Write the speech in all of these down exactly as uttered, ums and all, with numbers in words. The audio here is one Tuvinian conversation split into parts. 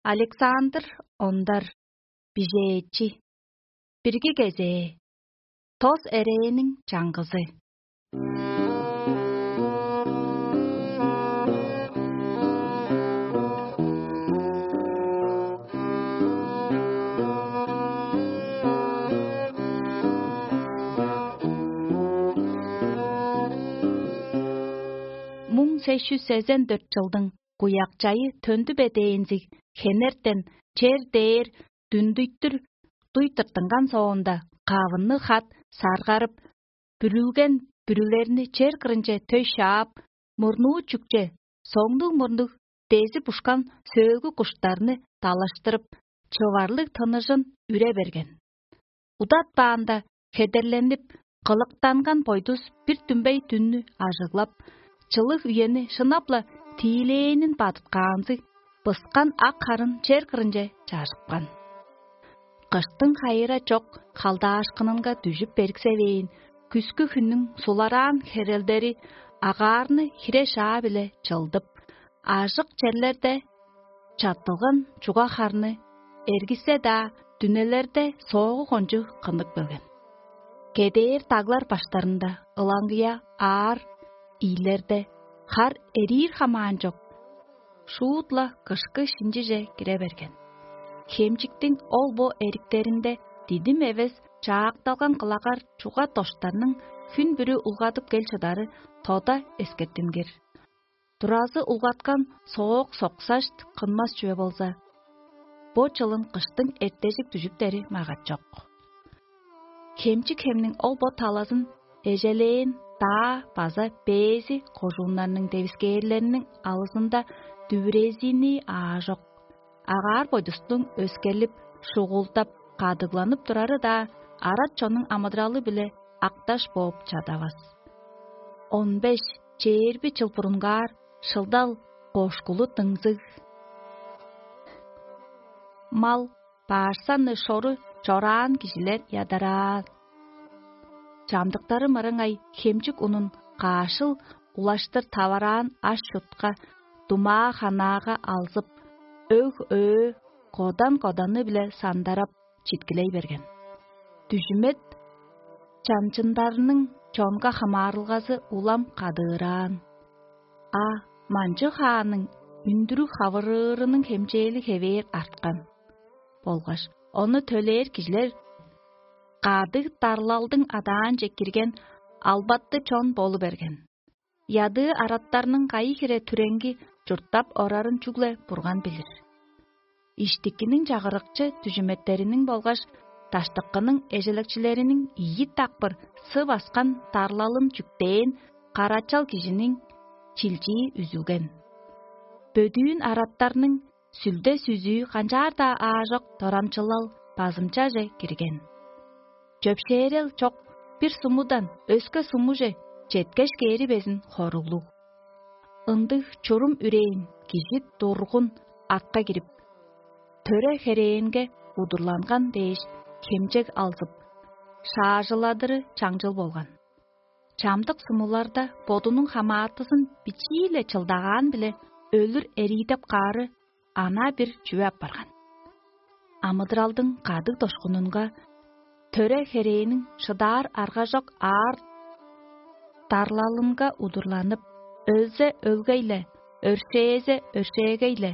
Александр Ондар, бижээчи. Бирги кезээ. Тос эрээниң чаңгызы. Муң сес чүс сезен дөрт чылдың куякчайы төндү бе дээнзиг хенертен чер дээр дүндүйтүр дуй тыртынган соонда, кавынны хат саргарып, бүрүлген бүрүлерни чер кырынче төй шаап, мурнуу чүкче, соңнуг-мурнуг дези бушкан сөөлгү куштарны далаштырып, чыварлыг тыныжын үре берген. Удатпаанда, хедерленип, кылыктанган бойдус бир дүмбей дүннү ажыглап, чылыг үени шынап-ла тиилээнин бадыткаанзыг, быскан ак харын чер кырынче чажыпкан. Кыштың хайыра чок халдаашкынынга дүжүп бериксевээн, күскү хүннүң сулараан херелдери агаарны хире шаа-биле чылдып, ажык черлерде чаттылган чуга харны эргисе-даа, дүнелерде соогу кончу кынныг келген. Кедээр даглар баштарында ылаңгыя аар иилерде хар эриир хамаан чок, шуут-ла кышкы шинчиже кире берген. Хемчиктиң ол-бо эриктеринде дидим эвес чаакталган кылагар чуга доштарның хүн бүрү улгадып кел чыдары тода эскертингир. Туразы улгаткан соок соксашт кынмас чүве болза, бо чылын кыштың эртежик дүжүптери магат чок. Хемчик хемниң ол бо талазын эжелээн даа база бээзи кожууннарның девискээрлериниң алызында дүвүрезини аажок. Агаар бойдустуң өскерлип, шугулдап, кадыгланып турары-даа арат чоннуң амыдыралы-биле акташ бооп чадавас. Он беш чээрби чыл бурунгаар шылдал кошкулу дыңзыг. Мал, баарсанны шору чораан кижилер ядараан. Чамдыктары мырыңай хемчик унун каашыл улаштыр тавараан аш-чутка, думаа-ханаага алзып, өг-өө, кодан-коданы-биле сандарап, читкилей берген. Дүжүмет чанчындарының чонга хамаарылгазы улам кадыыраан. А манчы хааның үндүрүг хавырыырының хемчээли хевээр арткан болгаш ону төлээр кижилер кадыг дарлалдың адаанче кирген албатты чон болу берген. Ядыы араттарның кайы хире түреңги чурттап орарын чүгле Бурган билир. Иштикиниң чагырыкчы дүжүметтериниң болгаш даштыкының эжелекчилериниң ийи дакпыр сы баскан дарлалын чүктээн карачал кижиниң чилчии үзүлген. Бөдүүн араттарның сүлде-сүзүү канчаар-даа аажок дорамчылал базымчаже кирген. Чөпшээрел чок бир сумудан өске сумуже четкеш кээри безин хоруглуг. Ындыг чурум үрээн кижи дургун атка кирип, төре херээнге удурланган дээш, хемчег алзып, шаажыладыры чаңчыл болган. Чамдык сумуларда бодунуң хамаатызын бичии-ле чылдагаан-биле өлүр эриидеп каары анаа бир чүве апарган. Амыдыралдың кадыг дошкунунга, төре херээниң шыдаар аргажок аар дарлалынга удурланып, өлзе өлгей-ле, өршээзе өршээгей-ле,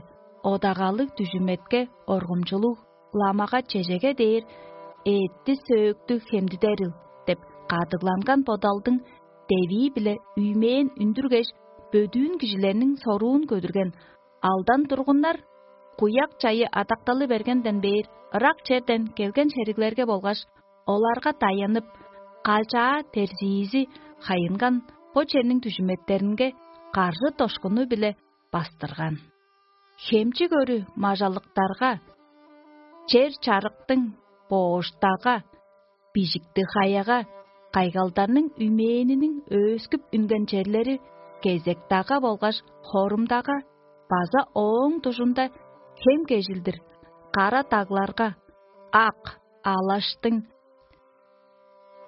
одагалыг дүжүметке оргумчулуг ламага чежеге дээр эътти-сөөктү хемдидерил деп кадыгланган бодалдың девии-биле үймээн үндүргеш, бөдүүн кижилерниң соруун көдүрген алдан тургуннар куяк чайы адакталы бергенден бээр ырак черден келген шериглерге болгаш оларга даянып, калчаа терзиизи хайынган бо черниң дүжүметтеринге каржы дошкуну-биле бастырган. Хемчик өрү мажалыктарга, чер чарыктың бооштага, бижикти хаяга, кайгалдарның үймээниниң өөскүп үнген черлери кезек-дагга болгаш хорумдага база ооң дужунда хем кежилдир кара дагларга, ак, алаштың,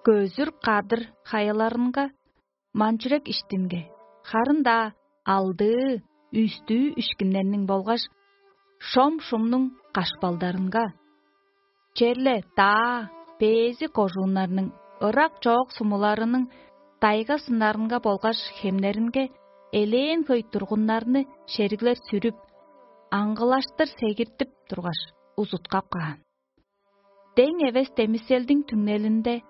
көзүр кадыр хаяларынга, манчүрек иштинге, харын-даа алдыы, үстүү ишкиннерниң болгаш шом-шумнуң кашпалдарынга, черле даа бээзи кожууннарның ырак чоок сумуларының дайга-сыннарынга болгаш хемнеринге элээн хөй тургуннарны шериглер сүрүп, аңгылаштыр сегиртип тургаш, узуткап каан. Дең эвес демиселдиң түңнелинде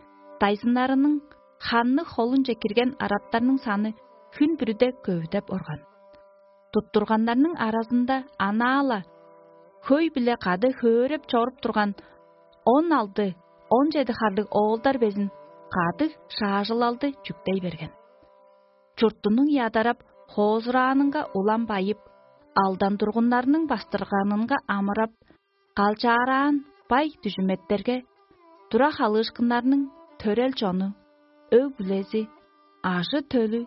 дайзыннарының ханны холунче кирген араттарның саны хүн бүрүде көвүдеп орган. Туттурганнарның аразында анаа-ла хөй-биле кады хөөреп чоруп турган он алды, он чеди харлыг оолдар безин кадыг шаажылалды чүктей берген. Чуртунуң ядарап, хоозураанынга улам байып, алдан тургуннарның бастырганынга амырап, калчаараан бай дүжүметтерге тура халыышкыннарның төрел чону, өг-бүлези, ажы-төлү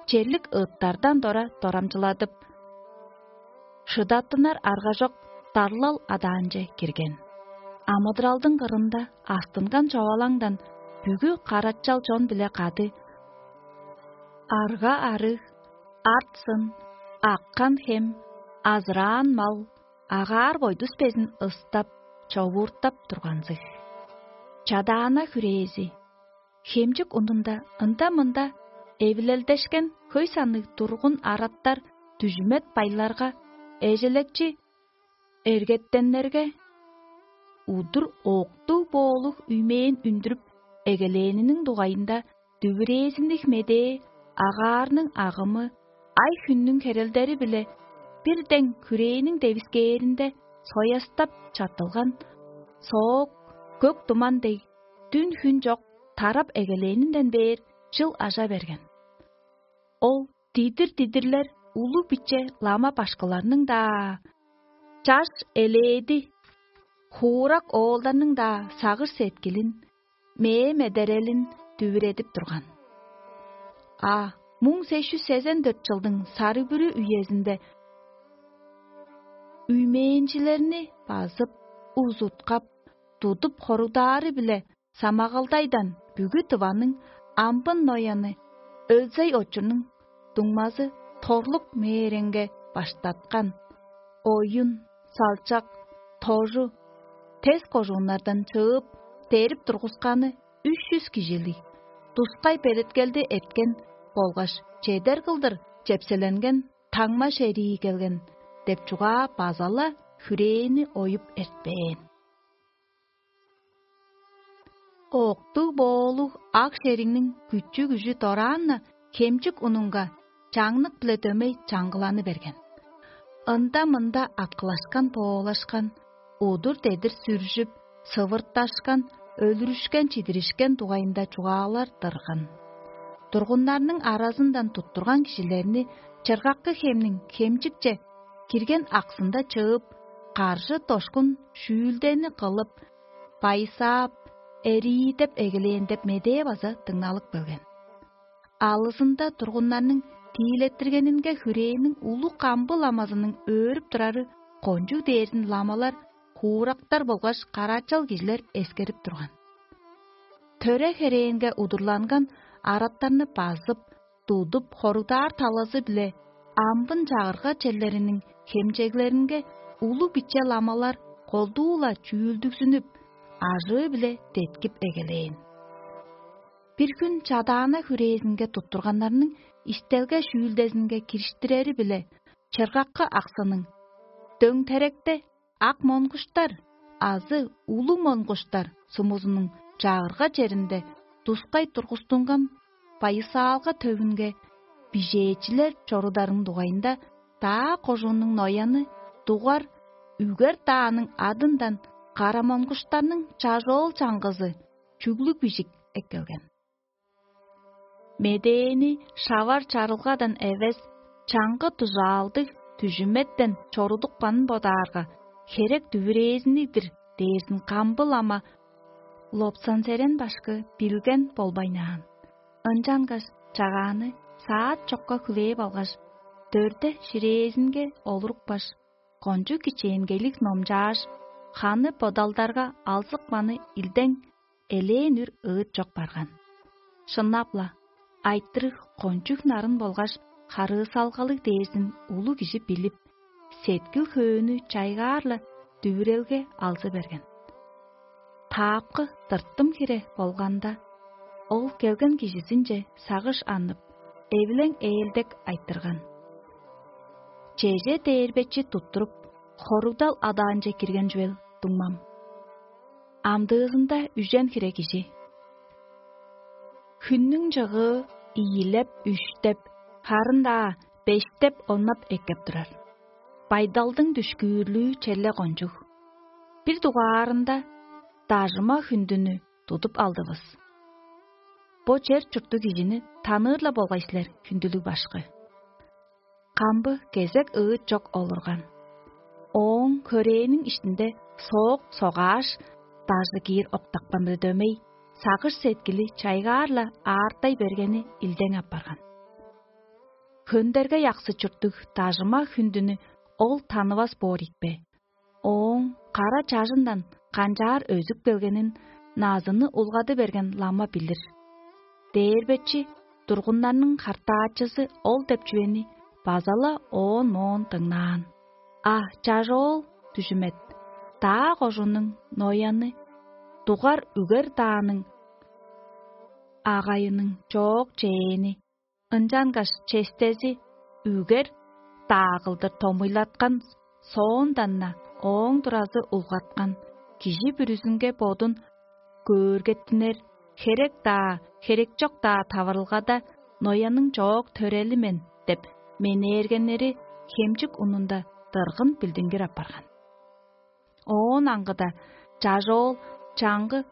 черлик ыыттардан дора дорамчыладып, шыдаттынар аргажок дарлал адаанче кирген. Амыдыралдың кырында астынган човалаңдан бүгү карачал чон-биле кады арга-арыг, арт-сын, аккан хем, азыраан мал, агаар-бойдус безин ыстап, човууртап турганзыг. Чадаана хүрээзи, хемчик унунда ында-мында эвилелдешкен хөй санныг тургун араттар дүжүмет байларга, эжелекчи эргеттеннерге удур октуг боолуг үймээн үндүрүп эгелээниниң дугайында дүвүрээзинниг медээ агаарның агымы ай-хүннүң херелдери-биле бир дең хүрээниң девискээринде соястап чаттылган соок көк туман дег, дүн-хүн чок тарап эгелээнинден бээр чыл ажа берген. Ол дидир-дидирлер улуг-биче лама башкыларның-даа, чаш элээди, хуурак оолдарның-даа сагыш-сеткилин, мээ-медерелин дүвүредип турган. А муң сес чүс сезен дөрт чылдың сарыг-бүрү үезинде үймээнчилерни базып, узуткап, тудуп хоругдаары-биле самагалдайдан бүгү Тываның амбын нояны Өлзей очурнуң дуңмазы Торлук мээреңге баштаткан оюн, салчак, тожу, тес кожууннардан чыып, дерип тургусканы үш чүс кижилиг, тускай белеткелди эрткен болгаш чедер кылдыр чепселенген таңма шерии келген деп чугаа база-ла хүрээни оюп эртпээн. Октуг-боолуг ак шериңниң күчү-күжү дораан-на хемчик унунга чаңнык-биле дөмей чаңгыланы берген. Ында-мында аткылашкан-боолашкан, удур-дедир сүржүп, сывырташкан, өлүрүшкен-чидиришкен дугайында чугаалар дырган. Тургуннарның аразындан туттурган кижилерни чыргаккы хемниң хемчикче кирген аксында чыып, каржы-дошкун шүүлдени кылып, байысаап, эриидеп эгелээн деп медээ база дыңналып келген. Алызында тургуннарның тиилеттиргенинге хүрээниң улуг камбы ламазының өөрүп турары кончуг дээрзин ламалар, хуурактар болгаш караачал кижилер эскерип турган. Төре херээнге удурланган араттарны базып, тудуп хоругдаар талазы-биле амбын чагырга черлериниң хемчеглеринге улуг-биче ламалар колдуу-ла чүүлдүгзүнүп, ажыы-биле деткип эгелээн. Бир хүн чадаана хүрээзинге туттурганнарның истелге шүүлдезинге кириштирери-биле чыргаккы аксының дөңтеректе ак монгуштар азы улуг монгуштар сумузунуң чагырга черинде тускай тургустунган байысаалга төвүнге бижээчилер чорударын дугайында даа кожууннуң нояны дугар үгер дааның адындан кара монгуштарның чажоол чаңгызы чүглүг бижик эккелген. Медээни шавар чарылгадан эвес, чаңгы дужаалдыг дүжүметтен чорудупканын бодаарга, херек дүвүрээзинниг-дир дээрзин камбыл ама Лопсанзерен башкы билген болбайнаан. Ынчангаш чагааны саат чокка хүлээп алгаш, дөрде ширээзинге олурупкаш, кончуг кичээнгейлиг номчааш, ханы бодалдарга алзыпканы илдең элээн үр ыыт чок барган. Шынап-ла, айтырыг кончуг нарын болгаш харыысалгалыг дээрзин улуг кижи билип, сеткил-хөөнү чайгаар-ла дүвүрелге алзы берген. Таапкы тыртым хире болганда, ол келген кижизинче сагыш аннып, эвилең ээлдек айтырган: «Чеже дээрбечи туттуруп, хоругдал адаанче кирген чүвел дуңмам? Амдыызында үжен хире кижи. Хүннүң чыгыы ийилеп, үштеп, харын-даа бештеп-оннап эккеп турар. Байдалдың дүшкүүрлүү черле кончуг. Бир дугаарында дажыма хүндүнү тудуп алдывыс. Бо чер чурттуг кижини таныыр-ла болгай силер, хүндүлүг башкы». Камбы кезек ыыт чок олурган. Ооң хөрээниң иштинде соок согааш, дажы киир октапкан-биле дөмей, сагыш-сеткили чайгаар-ла аартай бергени илдең апарган. Хөндерге яксы чурттуг дажыма хүндүнү ол танывас боор ийикпе? Ооң кара чажындан канчаар өзүп келгенин назыны улгады берген лама билир. Дээрбечи тургуннарның хартаачызы ол деп чүвени база-ла оон-моон дыңнаан. А чажоол дүжүмет даа кожунуң Нояны, дугар үгер дааның агайының чоок чээни, ынчангаш честези үгер даа кылдыр томуйлаткан соондан-на ооң туразы улгаткан, кижи бүрүзүнге бодун көөргеттинер, херек-даа, херек чок-даа таварылгада Нояның чоок төрели мен деп менээргеннери хемчик унунда дыргын билдингир апарган. Оон аңгыда чажоол чаңгы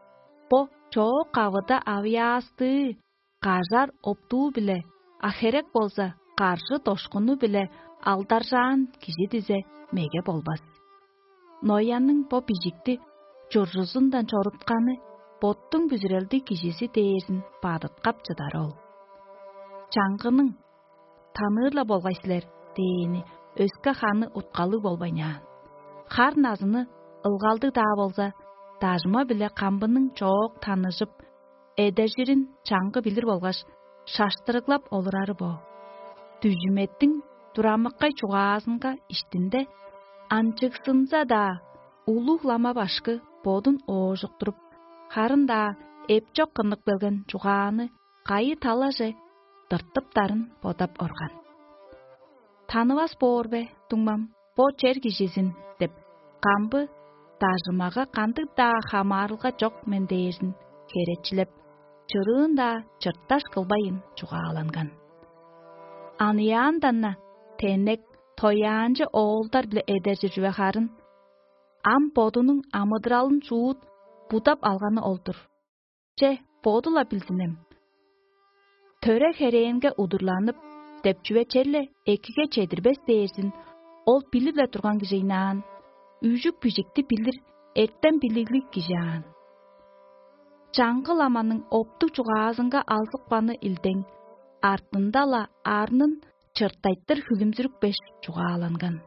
бо чоок кавыда авыяастыы кажар оптуу-биле, а херек болза, каржы дошкуну-биле алдаржаан кижи дизе меге болбас. Ноянның бо бижикти чуржузундан чорутканы боттуң бүзүрелдиг кижизи дээрзин бадыткап чыдары ол. Чаңгының: «Таныыр-ла болгай силер» – дээни өске ханы уткалыг болбайнаан. Хар назыны ылгалдыг-даа болза, дажыма-биле камбының чоок таныжып, эдержирин чаңгы билир болгаш, шаштырыглап олурары бо. Дүжүметтиң дурамыккай чугаазынга иштинде, анчыгзынза-даа, улуг лама башкы бодун оожуктуруп, харын-даа эпчок кыннып келген чугааны кайы талаже дыртыптарын бодап орган. «Танывас боор бе, дуңмам, бо чер кижизин?» – деп, камбы дажымага кандыг-даа хамаарылга чок мен дээрзин херечилеп, чырыын-даа чырташ кылбайн чугааланган. Аныяандан-на тенек, тояанчы оолдар-биле эдержир чүве харын, ам бодунуң амыдыралын шуут будап алганы ол-дур. Че, боду-ла билзинем. Төре-херээнге удурланып, деп чүве черле экиге чедирбес дээрзин ол билип-ле турган кижи ыйнаан, үжүк-бижикти билир, эртем-билиглиг кижи аан. Чаңгы ламаның оптуг чугаазынга алзыпканы илдең, артында-ла арнын чыртайтыр хүлүмзүрүпкеш чугааланган.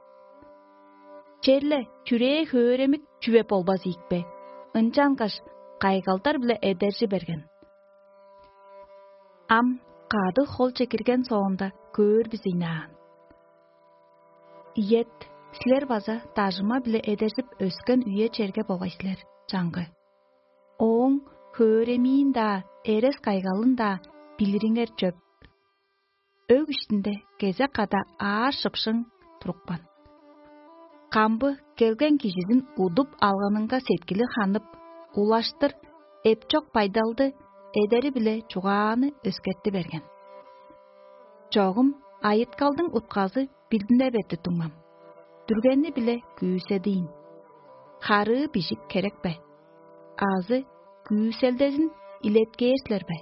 Черле чүрээ хөөремик чүве болбас ийикпе, ынчангаш кайгалдар-биле эдержи берген. Ам кады холче кирген соонда көөр бис ыйнаан. Иет, силер база дажыма-биле эдержип өскен үе-черге болгай силер, чаңгы. Ооң хөөремиин-даа, эрес-кайгалын-даа билириңер чөп. Өг иштинде кезек када аар шыпшың турупкан. Камбы келген кижизин удуп алганынга сеткили ханып, улаштыр эпчок байдалды эдери-биле чугааны өскерти берген. Чогум айыткалдың утказы билдине берди, дуңмам. Дүргени-биле күүседиин. Харыы бижик херек бе? Азы күүселдезин илеткээр силер бе?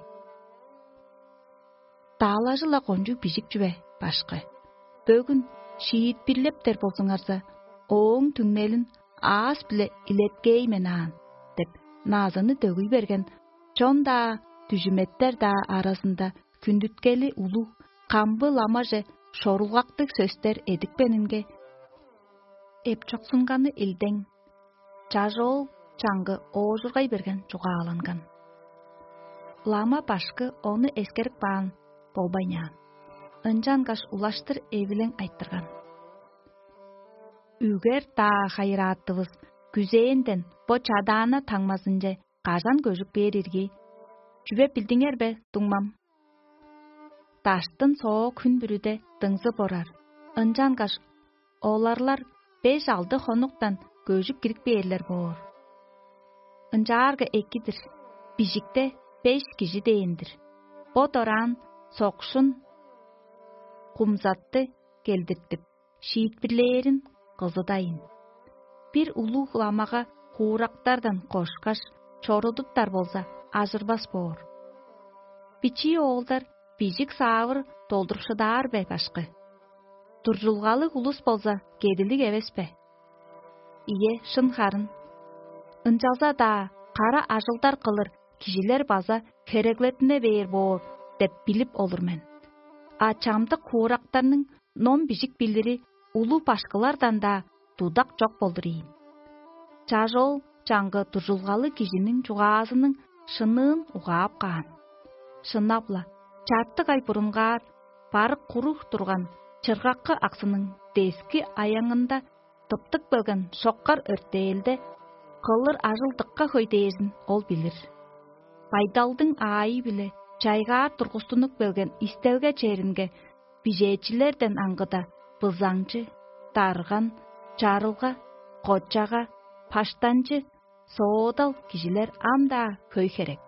Даалажы-ла кончуг бижик чүве, башкы. Бөгүн шиитпирлептер болзуңарза, ооң түңнелин аас-биле илеткей мен аан, деп, назыны дөгүй берген, чон-даа, дүжүметтер-даа аразында хүндүткели улуг, камбы ламаже шорулгактыг сөстер эдипкенинге, эпчоксунганы илдең, чажоол чаңгы оожургай берген чугааланган. Лама башкы ону эскерип каан болбайнаан, ынчангаш улаштыр эвилең айтырган. Үгер-даа хайырааттывыс күзээнден бо чадаана таңмазынче кажан көжүп кээр ирги? Чүве билдиңер бе, дуңмам? Даштын соо хүн бүрүде дыңзып орар, ынчангаш оларлар беш-алды хонуктан көжүп кирип бээрлер боор. Ынчаарга эки-дир, бижикте беш кижи дээн-дир. Бо дораан сокшун кумзатты келдиртип, шиитпирлээрин кызыдайын. Бир улуг ламага хуурактардан кошкаш, чорудуптар болза, ажырбас боор. Бичии оолдар бижик-саавыр долдурупшудаар бе, башкы? Дуржулгалыг улус болза, кедилиг эвес бе? Ийе, шын харын. Ынчалза-даа кара ажылдар кылыр кижилер база хереглеттине бээр боор деп билип олур мен. А чамдык хуурактарның ном-бижик билири улуг башкылардан-даа дудак чок болдур ийин. Чажоол чаңгы дужулгалыг кижиниң чугаазының шынныын угаап каан. Шынап-ла, чартык ай бурунгаар барык куруг турган чыргаккы аксының дески аяңында тыптып келген шоккар өртээлде кылыр ажыл дыкка хөй дээрзин ол билир. Байдалдың аайы-биле чайгаар тургустунуп келген истелге черинге бижээчилерден аңгыда бызаңчы, дарган, чарылга, кочага, паштанчы, соодал кижилер ам-даа хөй херек.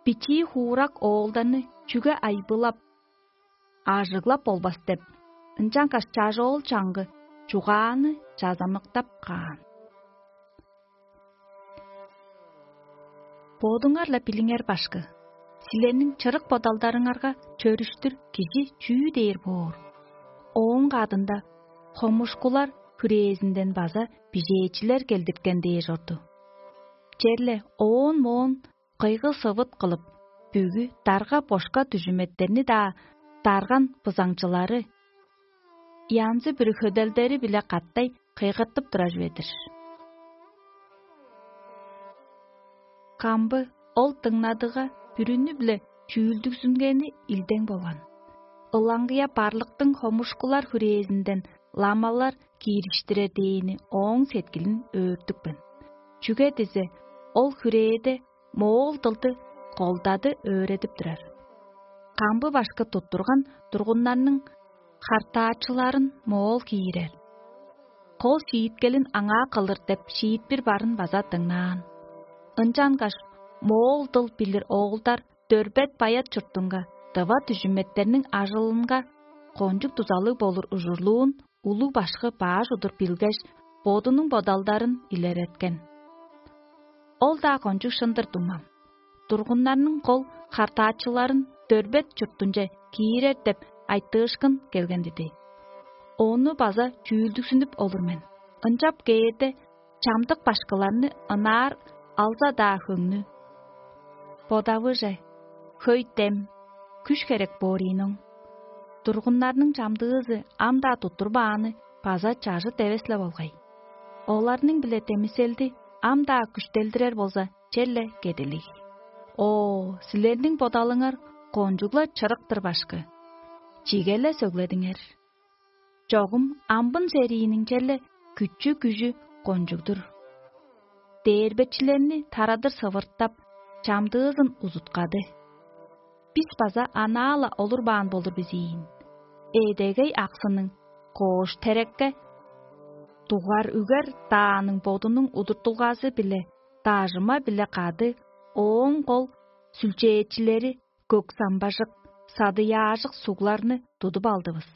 Бичии хуурак оолдарны чүге айбылап, ажыглап болбас деп, ынчангаш чажоол чаңгы чугааны чазамыктап каан. Бодуңар-ла билиңер, башкы, силерниң чырык бодалдарыңарга чөрүштүр кижи чүү дээр боор? Ооң кадында хомушкулар хүрээзинден база бижээчилер келдирткен дээш орду. Черле оон-моон кыйгы-сывыт кылып, бүгү дарга-бошка дүжүметтерни-даа дарган бызаңчылары, янзы-бүрү хөделдери-биле катай кыйгыртып турар чүве-дир. Камбы ол дыңнадыга бүрүнү-биле чүүлдүгзүнгени илдең болган. Ылаңгыя барлыктың хомушкулар хүрээзинден ламалар киириштирер дээни ооң сеткилин өөртүпкен. Чүге дизе ол хүрээде моол дылды колдады өөредип турар. Камбы башкы туттурган тургуннарның хартаачыларын моол киирер. Кол шииткелин аңаа кылыр деп шиитпир барын база дыңнаан. Ынчангаш моол дыл билир оолдар дөрбет баят чуртунга, дыва дүжүметтерниң ажылынга кончуг дузалыг болур ужурлуун улуг башкы баш удур билгеш, бодунуң бодалдарын илереткен. Ол-даа кончуг шын-дыр, дуңмам. Тургуннарның кол хартаачыларын дөрбет чуртунче киирер деп айтыышкын келген диди. Ону база чүүлдүгзүнүп олур мен. Ынчап кээрде, чамдык башкыларны ынаар алза-даа хөңнү. Бодавыже, хөй дем, күш херек боор ийин оң. Тургуннарның чамдыызы ам-даа туттурбааны база чажыт эвес-ле болгай. Оларның-биле демиселди ам-даа күштелдирер болза, черле кедилиг. О, силерниң бодалыңар кончугла чырык-тыр, башкы. Чиге-ле сөгледиңер. Чогум амбын серииниң черле күчү-күжү кончуг-дур. Дээрбечилерни тарадыр сывыртап, чамдыызын узуткады. Бис база анаа-ла олурбаан болур бис ийин. Эдегей аксының коош терекке дугар үгер дааның бодунуң удуртулгазы-биле, дажыма-биле кады ооң кол сүлчээчилери көк самбажык, садыяажык сугларны тудуп алдывыс.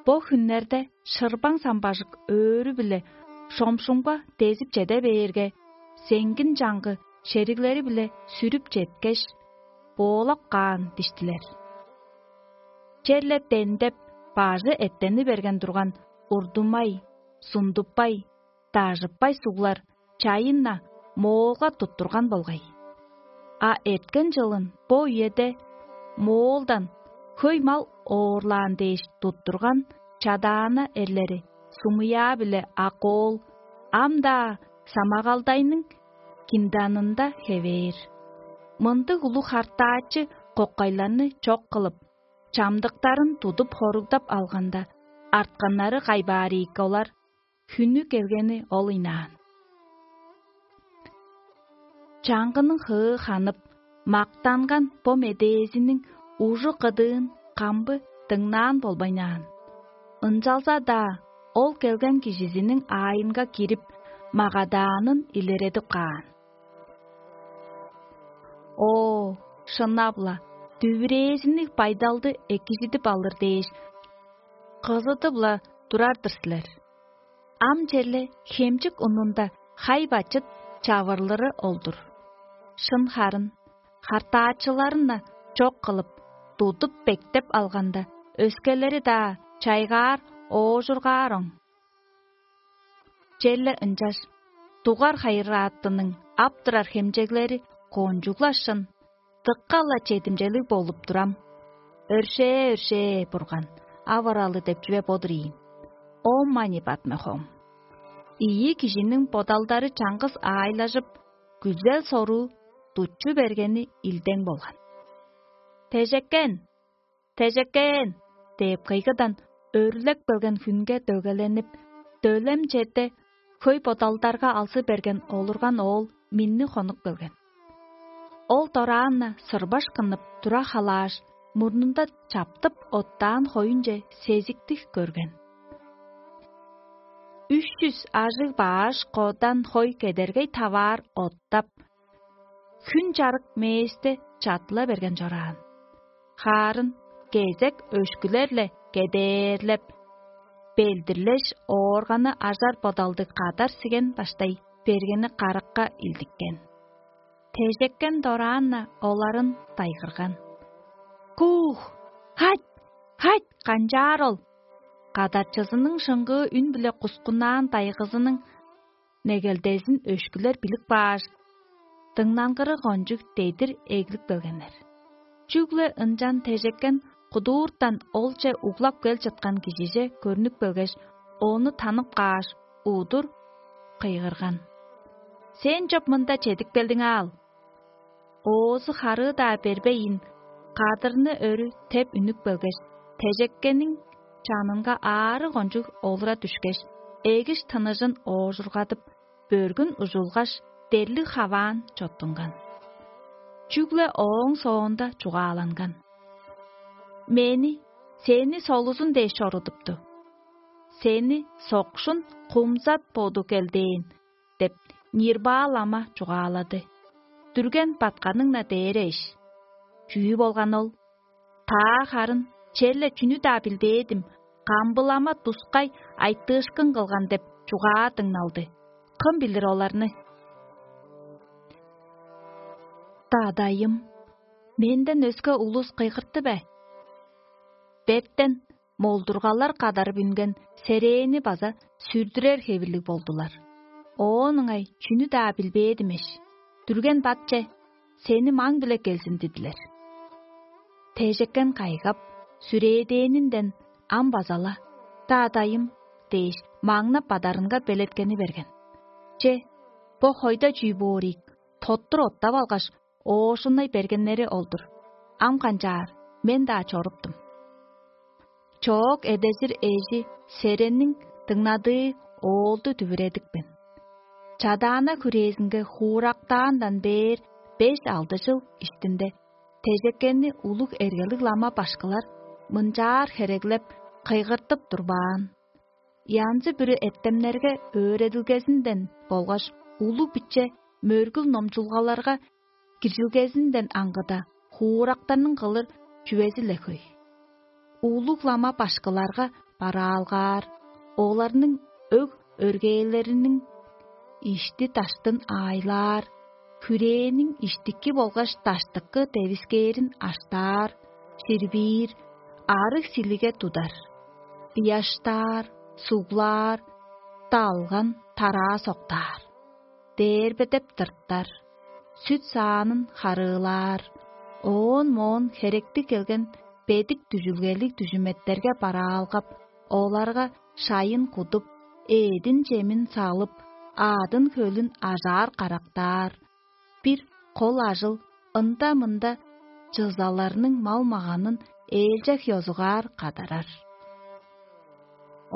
Бо хүннерде шырбаң самбажык өөрү-биле шомшумга дезип чеде бээрге, сеңгин чаңгы шериглери-биле сүрүп четкеш, боолап каан диштилер. Черле дендеп, бажы эттени берген турган урдумай, сундуппай, дажыппай суглар чайын-на моолга туттурган болгай. А эрткен чылын бо үеде моолдан хөй мал оорлаан дээш туттурган чадаана эрлери Сумуяа биле Акоол ам-даа Самагалдайның кинданында хевээр. Мындыг улуг хартаачы коккайларны чок кылып, чамдыктарын тудуп хоругдап алганда, артканнары кайбаар ийикке олар, хүннү келгени ол ыйнаан. Чаңгының хыы ханып, мактанган бо медээзиниң ужу-кыдыын камбы дыңнаан болбайнаан. Ынчалза-даа ол келген кижизиниң аайынга кирип, магадаанын илередип каан. О, шынап-ла, дүвүрээзинниг байдалды экижидип алыр дээш, кызыдып-ла турар-дыр силер. Ам черле хемчик унунда хай-бачыт чавырлыры ол-дур. Шын харын, хартаачыларын-на чок кылып, тудуп-бектеп алганда, өскелери-даа чайгаар, оожургаар оң. Черле ынчаш дугар хайырааттының ап турар хемчеглери кончуг-ла шын, дыка-ла чедимчелиг болуп турам. Өршээ-өршээ, Бурган, авыралы деп чүве бо-дур ийин. Ом мани батме хом. Ийи кижиниң бодалдары чаңгыс аайлажып, күзел-соруу дуччу бергени илдең болган. «Тежеккен! Тежеккен!» – деп кыйгыдан өрлеп келген хүнге дөгеленип, дөлем черде хөй бодалдарга алзы берген олурган оол минни хонук келген. Ол дораан-на сырбаш кынып тура халааш, мурнунда чаптып оттаан хоюнче сезиктиг көрген. Үш чүс ажыг бааш кодан хой кедергей таваар оттап, хүн чарык мээсте чатыла берген чораан. Хаарын кезек өшкүлер-ле кедээрлеп, белдирлеш, оорганы ажар бодалдыг кадар сиген баштай бергени каракка илдиккен. Тежеккен дораан-на оларын дайгырган: «Куух! Хать! Хать! Канчаар ол?» Кадарчызының шыңгыы үн-биле кускуннаан дайгызының негелдезин өшкүлер билип кааш, дыңнангыры кончуг дедир эглип келгеннер. Чүгле ынчан тежеккен кудууртан олче углап кел чыткан кижиже көрнүп келгеш, ону танып кааш, удур кыйгырган: «Сен чоп мында чедип келдиң аал?» Оозу харыы-даа бербейн, кадырны өрү теп үнүп келгеш, тежеккениң чанынга аарыг кончуг олура дүшкеш, эгиш тыныжын оожургадып, бөргүн ужулгаш, дерлиг хаваан чоттунган. Чүгле ооң соонда чугааланган: «Мени сени солузун дээш чорудупту. Сени сокшун кумзат боду келдээн» – деп, Нирбаа лама чугаалады. Дүрген батканың-на дээре иш. Чүү болган ол? «Таа харын черле чүнү-даа билбээдим, камбылама тускай айтыышкын кылган» – деп чугаа дыңналды. Кым билир оларны? Дадайым, менден өске улус кыйгыртты бе? Бертен молдургалар кадарып үнген серээни база сүрдүрер хевирлиг болдулар. Оон ыңай чүнү-даа билбээдимеш, дүрген батче сени маң-биле келзин дидилер. Тежеккен кайгап, сүрээдээнинден ам база-ла: «Даа, дайым» – дээш, маңнап бадарынга белеткени берген. Че, бо хойда чүү боор ийик, тоттур оттап алгаш, оошуннай бергеннери ол-дур. Ам канчаар, мен-даа чоруптум. Чоок эдезир эжи Серенниң дыңнадыы оолду дүвүредипкен. Чадаана хүрээзинге хуурактаандан бээр беш-алды чыл иштинде тежеккенни улуг эргелиг лама башкылар мынчаар хереглеп, кыйгыртып турбаан. Янзы-бүрү эртемнерге өөредилгезинден болгаш улуг-биче мөргүл номчулгаларга киржилгезинден аңгыда, хуурактарның кылыр чүвези-ле хөй. Улуг лама башкыларга бараалгаар, оларның өг-өргээлериниң ишти-даштын аайлаар, хүрээниң иштики болгаш даштыкы девискээрин аштаар, ширбиир, арыг силиге тудар, ыяштаар, суглаар, далган тараа соктаар, дээрбедеп тыртар, сүт-саанын харыылаар, оон-моон херектиг келген бедик дүжүлгелиг дүжүметтерге бараалгап, оларга шайын кудуп, эъдин-чемин салып, аъдын-хөлүн ажаар-карактаар, бир кол ажыл ында-мында чызаларның мал-маганын ээлчег ёзугаар кадарар.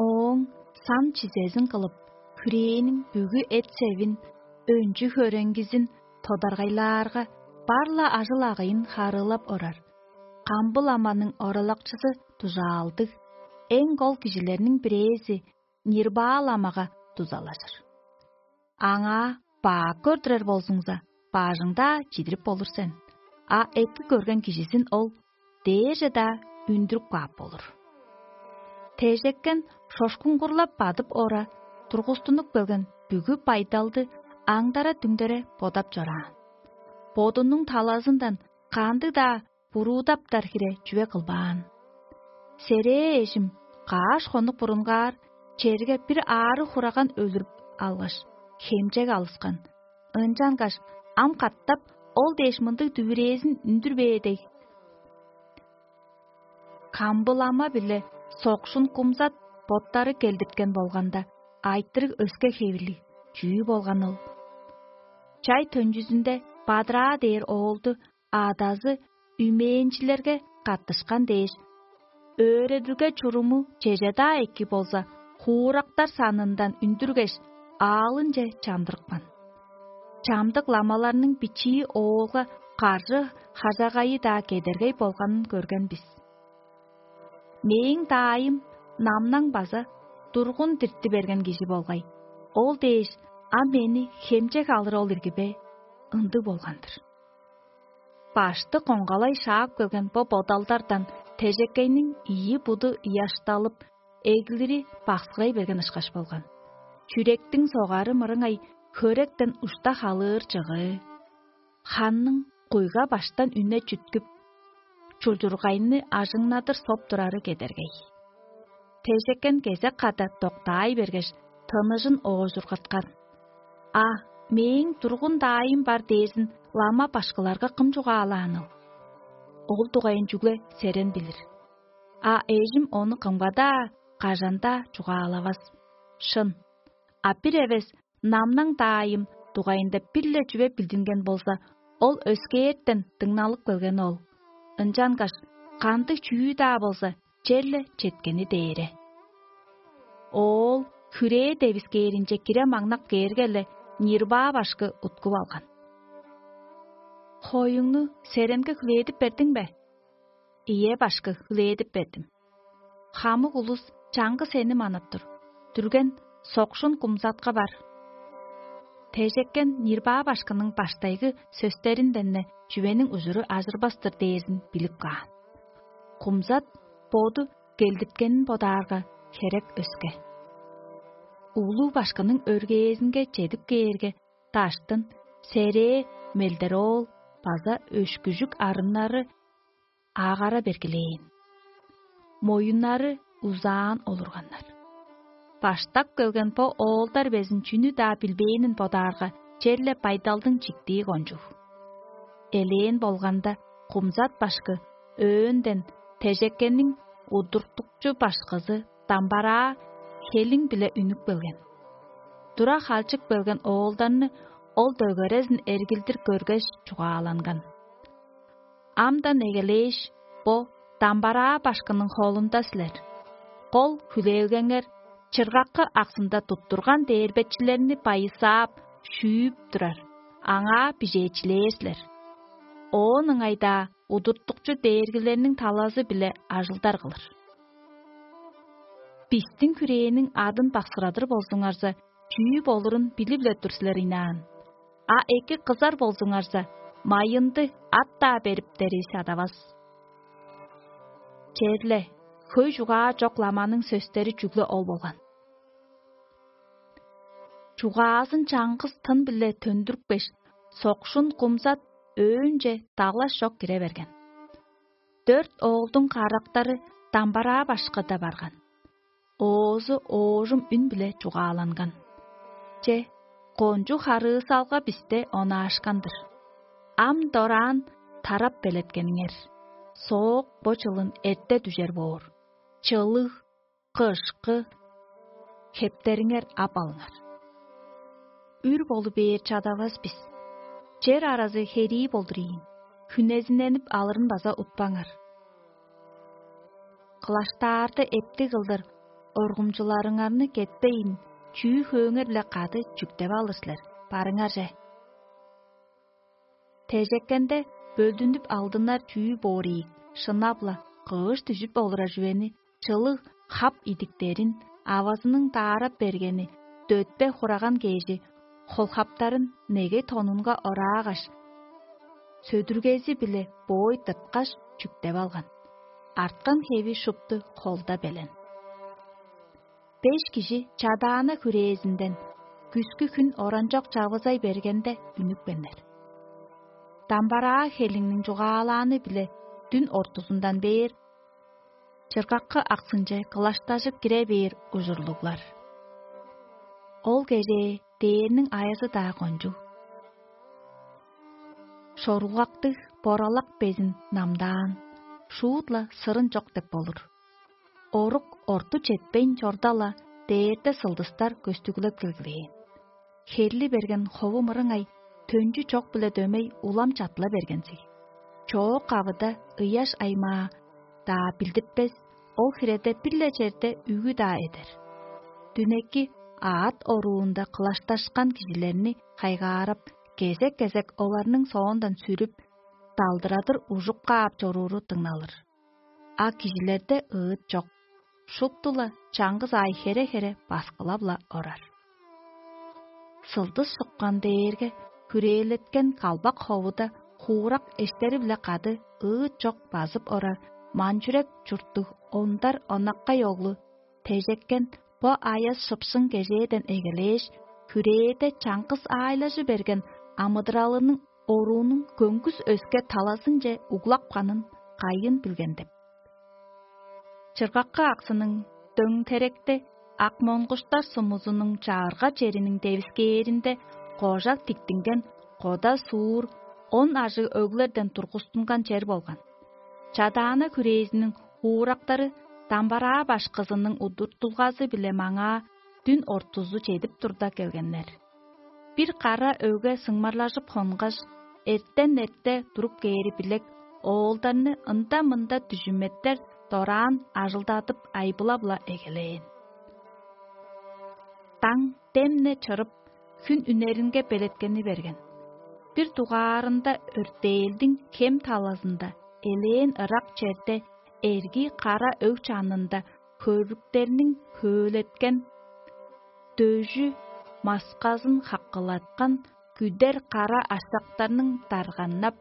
Ооң сан чизезин кылып, хүрээниң бүгү эт-севин, өнчү-хөреңгизин тодаргайлаарга, бар-ла ажыл-агыйын харыылап орар. Камбыл аманың оралакчызы дужаалдыг, эң кол кижилерниң бирээзи Нирбаа ламага дузалажыр. Аңаа бак көрдүрер болзуңза, бажың-даа чидирип болур сен, а эки көрген кижизин ол дээрже-даа үндүрүп каап болур. Тежеккен шошкуңгурлап бадып ора, тургустунуп келген бүгү байдалды аңдара-дүңдере бодап чораан. Бодунуң талазындан кандыг-даа буруудаптар хире чүве кылбаан. Серээ эжим каш хонук бурунгаар черге бир аарыг хураган өлүрүп алгаш, хемчег алыскан. Ынчангаш ам катап ол дээш мындыг дүвүрээзин үндүр бээр дег. Камбылама-биле сокшун кумзат боттары келдирткен болганда, айтырыг өске хевирлиг чүү болган ол? Чай төнчүзүнде бадыраа дээр оолду адазы үймээнчилерге каттышкан дээш, өөредилге чуруму чеже-даа эки болза, хуурактар санындан үндүргеш, аалынче чандырыпкан. Чамдык ламаларның бичии оолга каржы хажагайы-даа кедергей болганын көрген бис. Мээң даайым намнаң база тургун дирти берген кижи болгай. Ол дээш, ам мени хемчег алыр ол ирги бе? Ындыг болган-дыр. Башты коңгалай шаап келген бо бодалдардан тежекейниң ийи буду ыяшталып, эглири баксырай берген ышкаш болган. Чүректиң согары мырыңай хөректен ушта халыыр чыгыы, ханның куйга баштан үне чүткүп, чулчургайны ажыңнадыр соп турары кедергей. Тежеккен кезек када доктаай бергеш, тыныжын оожургаткан. А мээң тургун даайым бар дээрзин лама башкыларга кым чугаалааныл? Ол дугайын чүгле серен билир. А эжим ону кымга-даа, кажан-даа чугаалавас. Шын. А бир эвес намнаң даайым дугайында бир-ле чүве билдинген болза, ол өскээртен дыңналып келген ол. Ынчангаш кандыг чүү-даа болза, черле четкени дээре. Оол хүрээ девискээринче кире маңнап кээрге-ле, Нирбаа башкы уткуп алган. Хоюңну серемге хүлээдип бердиң бе? Ийе, башкы, хүлээдип бердим. Хамык улус чаңгы сени манап тур. Дүрген сокшун кумзатка бар. Тежеккен Нирбаа башкының баштайгы сөстеринден-не чүвениң ужуру ажырбас-тыр дээрзин билип каан. Кумзат боду келдирткенин бодаарга, херек өске. Улуу башкының өргээзинге чедип кээрге, даштын серээ мелдер оол база өшкүжүк арыннары аагара бергилээн. Моюннары узаан олурганнар. Баштап келген бо оолдар безин чүнү-даа билбээнин бодаарга, черле байдалдың чиктии кончуг. Элээн болганда, кумзат башкы өөөнден тежеккениң удуртукчу башкызы дамбараа хелиң-биле үнүп келген. Тура халчып келген оолдарны ол дөгерезин эргилдир көргеш, чугааланган. Амдан эгелээш, бо дамбараа башкының холунда силер. Кол хүлээлгеңер чыргакы аксында туттурган дээрбечилерни байысаап, шүүп турар, аңаа бижээчилээр силер. Оон ыңай-даа удуртукчу дээргилерниң талазы-биле ажылдар кылыр. Бистиң хүрээниң адын баксырадыр болзуңарза, чүү болурун билип-ле тур силер ыйнаан. А эки кызар болзуңарза, майынды ат-даа бериптери чадавас. Черле, хөй чугаа чок ламаның сөстери чүгле ол болган. Чугаазын чаңгыс тын-биле төндүрүпкеш, сокшун кумзат өөнче далаш чок кире берген. Дөрт оолдуң карактары дамбараа башкыда барган. Оозу оожум үн-биле чугааланган. Че, кончуг харыысалга бисте онаашкан-дыр. Ам дораан тарап белеткениңер. Соок бо чылын эрте дүжер боор. Чылыг, кышкы хептериңер ап алыңар. Үр болу бээр чадавас бис. Чер аразы херии болдур ийин, хүнезиненип алырын база утпаңар. Кылаштаарды эптиг кылдыр Коргумчуларыңарны кетпейн, чүү-хөөңер-биле кады чүктеп алыр силер, барыңарже. Тежеккенде бөлдүнүп алдынар чүү боор ийик, шынап-ла, кыыш дүжүп олурар чүвени, чылыг хап идиктерин, авазының даарап бергени, дөтпе хураган кежи, холхаптарын неге тонунга ораагаш, сөдүргези-биле боой тырткаш, чүктеп алган. Арткан хеви шупту холда белен. Беш кижи чадаана хүрээзинден күскү хүн оранчок чавызай бергенде үнүпкеннер. Дамбараа хелиңниң чугаалааны-биле дүн ортузундан бээр чыргаккы аксынче кылаштажып кире бээр ужурлуглар. Ол кежээ дээрниң аязы-даа кончуг. Шорулгактыг боралак безин намдаан, шуут-ла сырын чок деп болур. Орук орту четпейн чорда-ла, дээрде сылдыстар көстүглеп келгилээн. Херли берген хову мырыңай төнчү чок-биле дөмей улам чатыла бергензиг. Чоок кавыда ыяш аймаа-даа билдиртпес, ол хиреде бир-ле черде үгү-даа эдер. Дүнеки аът оруунда кылашташкан кижилерни хайгаарап, кезек-кезек оларның соондан сүрүп, далдырадыр ужуп каап чорууру дыңналыр. А кижилерде ыыт чок, шупту-ла чаңгыс аай хере-хере баскылап-ла орар. Сылдыс шыккан дээрге хүрээлеткен калбак ховуда хуурак эштери-биле кады ыыт чок базып орар манчүрек чурттуг ондар онаккай оглу тежеккен бо аяс шыпшың кежээден эгелээш, хүрээде чаңгыс аайлажы берген амыдыралының оруунуң көңгүс өске талазынче углапканын кайын билген деп. Чыргаккы аксының дөңтеректе ак монгуштар сумузунуң чагырга чериниң девискээринде кожак тиктинген кода суур он ажыг өглерден тургустунган чер болган. Чадаана хүрээзиниң хуурактары дамбараа башкызының удуртулгазы-биле маңаа дүн ортузу чедип турда келгеннер. Бир кара өгге сыңмарлажып хонгаш, эртен-эрте туруп кээри билек оолдарны ында-мында дүжүметтер дораан ажылдадып айбылап-ла эгелээн. Даң демне чырып, хүн үнеринге белеткени берген. Бир дугаарында өртээлдиң хем талазында элээн ырак черде эрги кара өг чанында хөрүктерниң хөөлеткен дөжү масказын хаккылаткан күдер кара аштактарның дарганнап,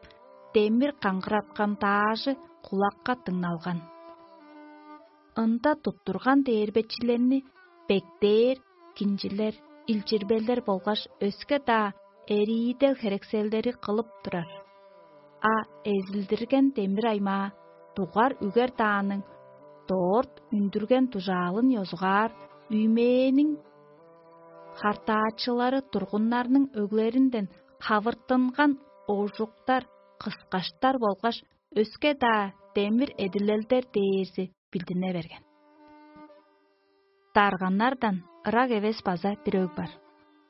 демир каңгыраткан даажы кулакка дыңналган. Ында туттурган дээрбечилерни бектээр, кинчилер, илчирбелер болгаш өске-даа эриидел херекселдери кылып турар. А эзилдирген демир аймаа дугар үгер дааның доорт үндүрген дужаалын ёзугаар үймээниң хартаачылары тургуннарның өглеринден хавыртынган ожуктар, кыскаштар болгаш өске-даа демир эдилелдер дээрзи билдине берген. Дарганнардан ырак эвес база бир өг бар.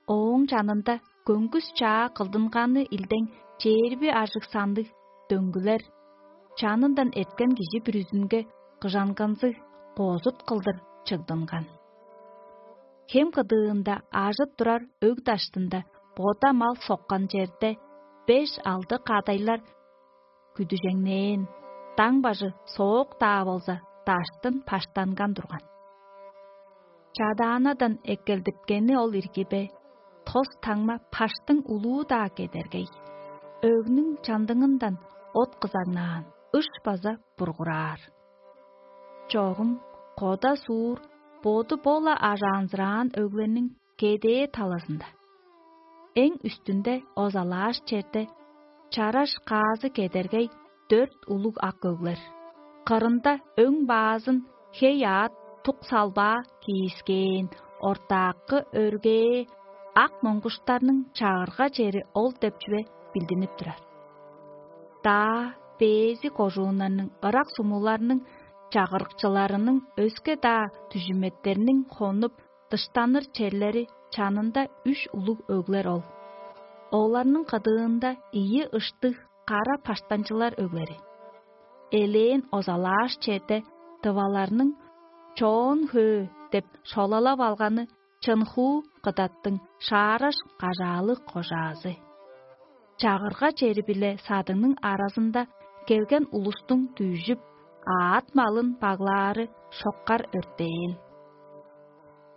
Ооң чанында көңгүс чаа кылдынганы илдең чээрби ажыг сандыг дөңгүлер, чанындан эрткен кижи бүрүзүнге кыжанганзыг коозут кылдыр чыгдынган. Хем кыдыында ажыт турар өг даштында бода мал соккан черде беш-алды кадайлар күдүжеңнээн, даң бажы соок-даа болза, даштын паштанган турган. Чадаанадан эккелдипкени ол ирги бе, тос таңма паштың улуу-даа кедергей, өгнүң чандыңындан от кызагнаан, ыш база бургураар. Чогум кода суур боду бо-ла ажаанзыраан өглерниң кедээ талазында. Эң үстүнде озалааш черде чараш каазы кедергей дөрт улуг ак өглер. Кырында өң баазын хей аът тук салбаа киискээн ортаакы өргээ ак моңгуштарның чагырга чери ол деп чүве билдинип турар. Даа бээзи кожууннарның ырак сумуларның чагырыкчыларының өске-даа дүжүметтерниң хонуп дыштаныр черлери чанында үш улуг өглер ол. Оларның кыдыында ийи ыштыг кара паштанчылар өглери. Элээн озалааш чеде дываларның чоон хөө деп шолалап алганы чынхуу кыдаттың шаараш кажаалыг кожаазы. Чагырга чери-биле садыңның аразында келген улустуң дүжүп, аът малын баглаары шоккар өртээн.